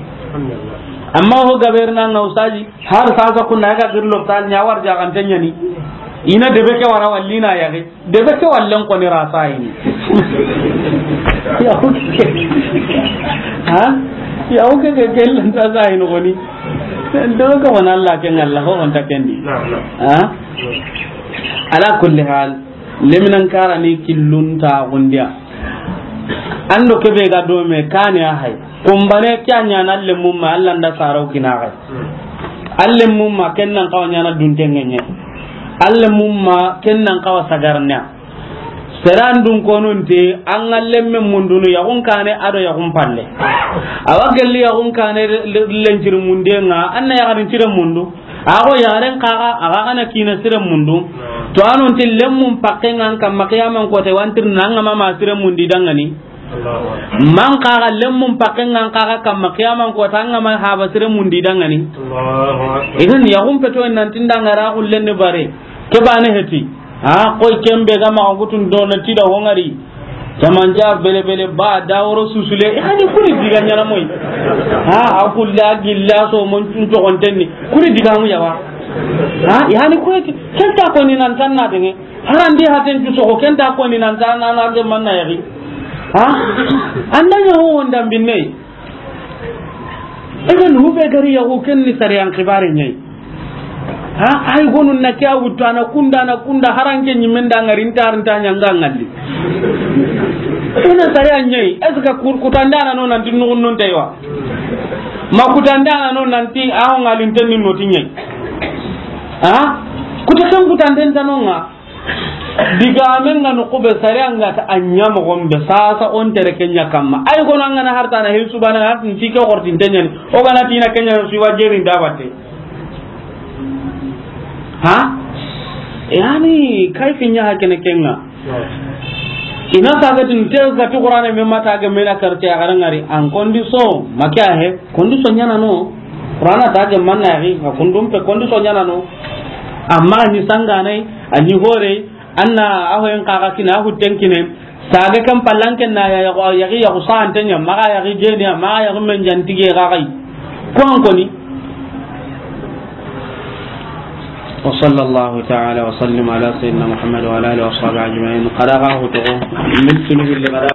Amma ho gabe ri na ŋa ustazi, har sasa kunna ga giri lopital ɲa war jaxante ɲaani. I na debe ke wara walli na yaxi. Debe ke wallen koni ra sayini. Ya oke. Ha? Ya oke ke kellen ta sayini koni. Debe ke wona Allah ke ŋalla ho on ta kendi. Na'am, na'am. Ha? Ala kulli hal, leminan karani killun ta gundiya. Ando kebe ga do me kani a hay. Kumbane kya ɲana lemmum ma Allah nda saraw kina hay. An lemmum ma ken nan xawa ɲana duntenŋe ɲe. An lemmum ma ken nan xawa sagarna. Seran dun konunte, an ga lemme mundunu yaxun kane a do yaxun palle. Awa gelli yaxun kane lenciri mundenga, an na yaxarin cire mundu. Ago yaxaren kaga, a ga gana kina sire mundu. To anonti lemmun pakken ŋa an kamma qiyaman kote wantirna an ga ma ma sire mundi dangani. Allahu akbar. Man kaga lemmun pakken ŋa an kaga kamma qiyaman kote an ga ma haba sire mundi dangani. Allahu akbar. Idan yaxun peto nan tinda ŋa ra xullen ni bare. Ke bane heti. Ha, koy kembe ga ma gutun do na tida ho ŋari. Jamanja bele bele ba da woro susule. Hani kuni diga ɲana moy. Ha, a kulla gilla so mon tun to gontenni. Kuni diga mu yawa. Ha, hani kuni kenta ko ni nan tan na denge. Harandi haten tu so ko kenta ko ni nan tan na na de man na yari. Ha? Anda ɲa ho wonda binne. Egen hube gari yaxu ken ni sariyan xibare ɲayi. Ha, ay gonu na ke a wuttu a na kunda, a na kunda, haranke ɲimen da ŋari nta, nta ɲanga ŋalli. Kuna sariyan ɲayi, est-ce que kutandana no nanti nugun non taywa? Ma kutandana no nanti aho ŋalin tenni no ti ɲayi. Ha? Kuta ken kutanten tanonga. Digamen ga noxu be, sariya nga ta a ɲa moxon be, sasa on tere ke ɲa kamma. Ay, kono an ga na hartana hil subana, hartin ti ke xortin te ɲani. O ga na tina ke ɲa su wa jerin da batte. Ha? Yani, kayfi ɲa hakene kenga. Ina saga tin te ga ti Qur'ane me mata ga me na karte a garangari. An kondi so, makiya he, kondi so ɲana no. Qur'ana ta ge manna yaxi, a kundum pe kondi so ɲana no. Amma ni sangane, a ni hore, anna aho en kaga kina, ahu tenkine. Saga kan pallanken na ya, ya, yaxi, yaxu sante ɲa, maga yaxi jeni, maga yaxi men jantige ga gai. Ko an koni. وصلى الله تعالى وسلم على سيدنا محمد وعلى آله وصحبه أجمعين. قد أغاه تغو من سنوه اللي قد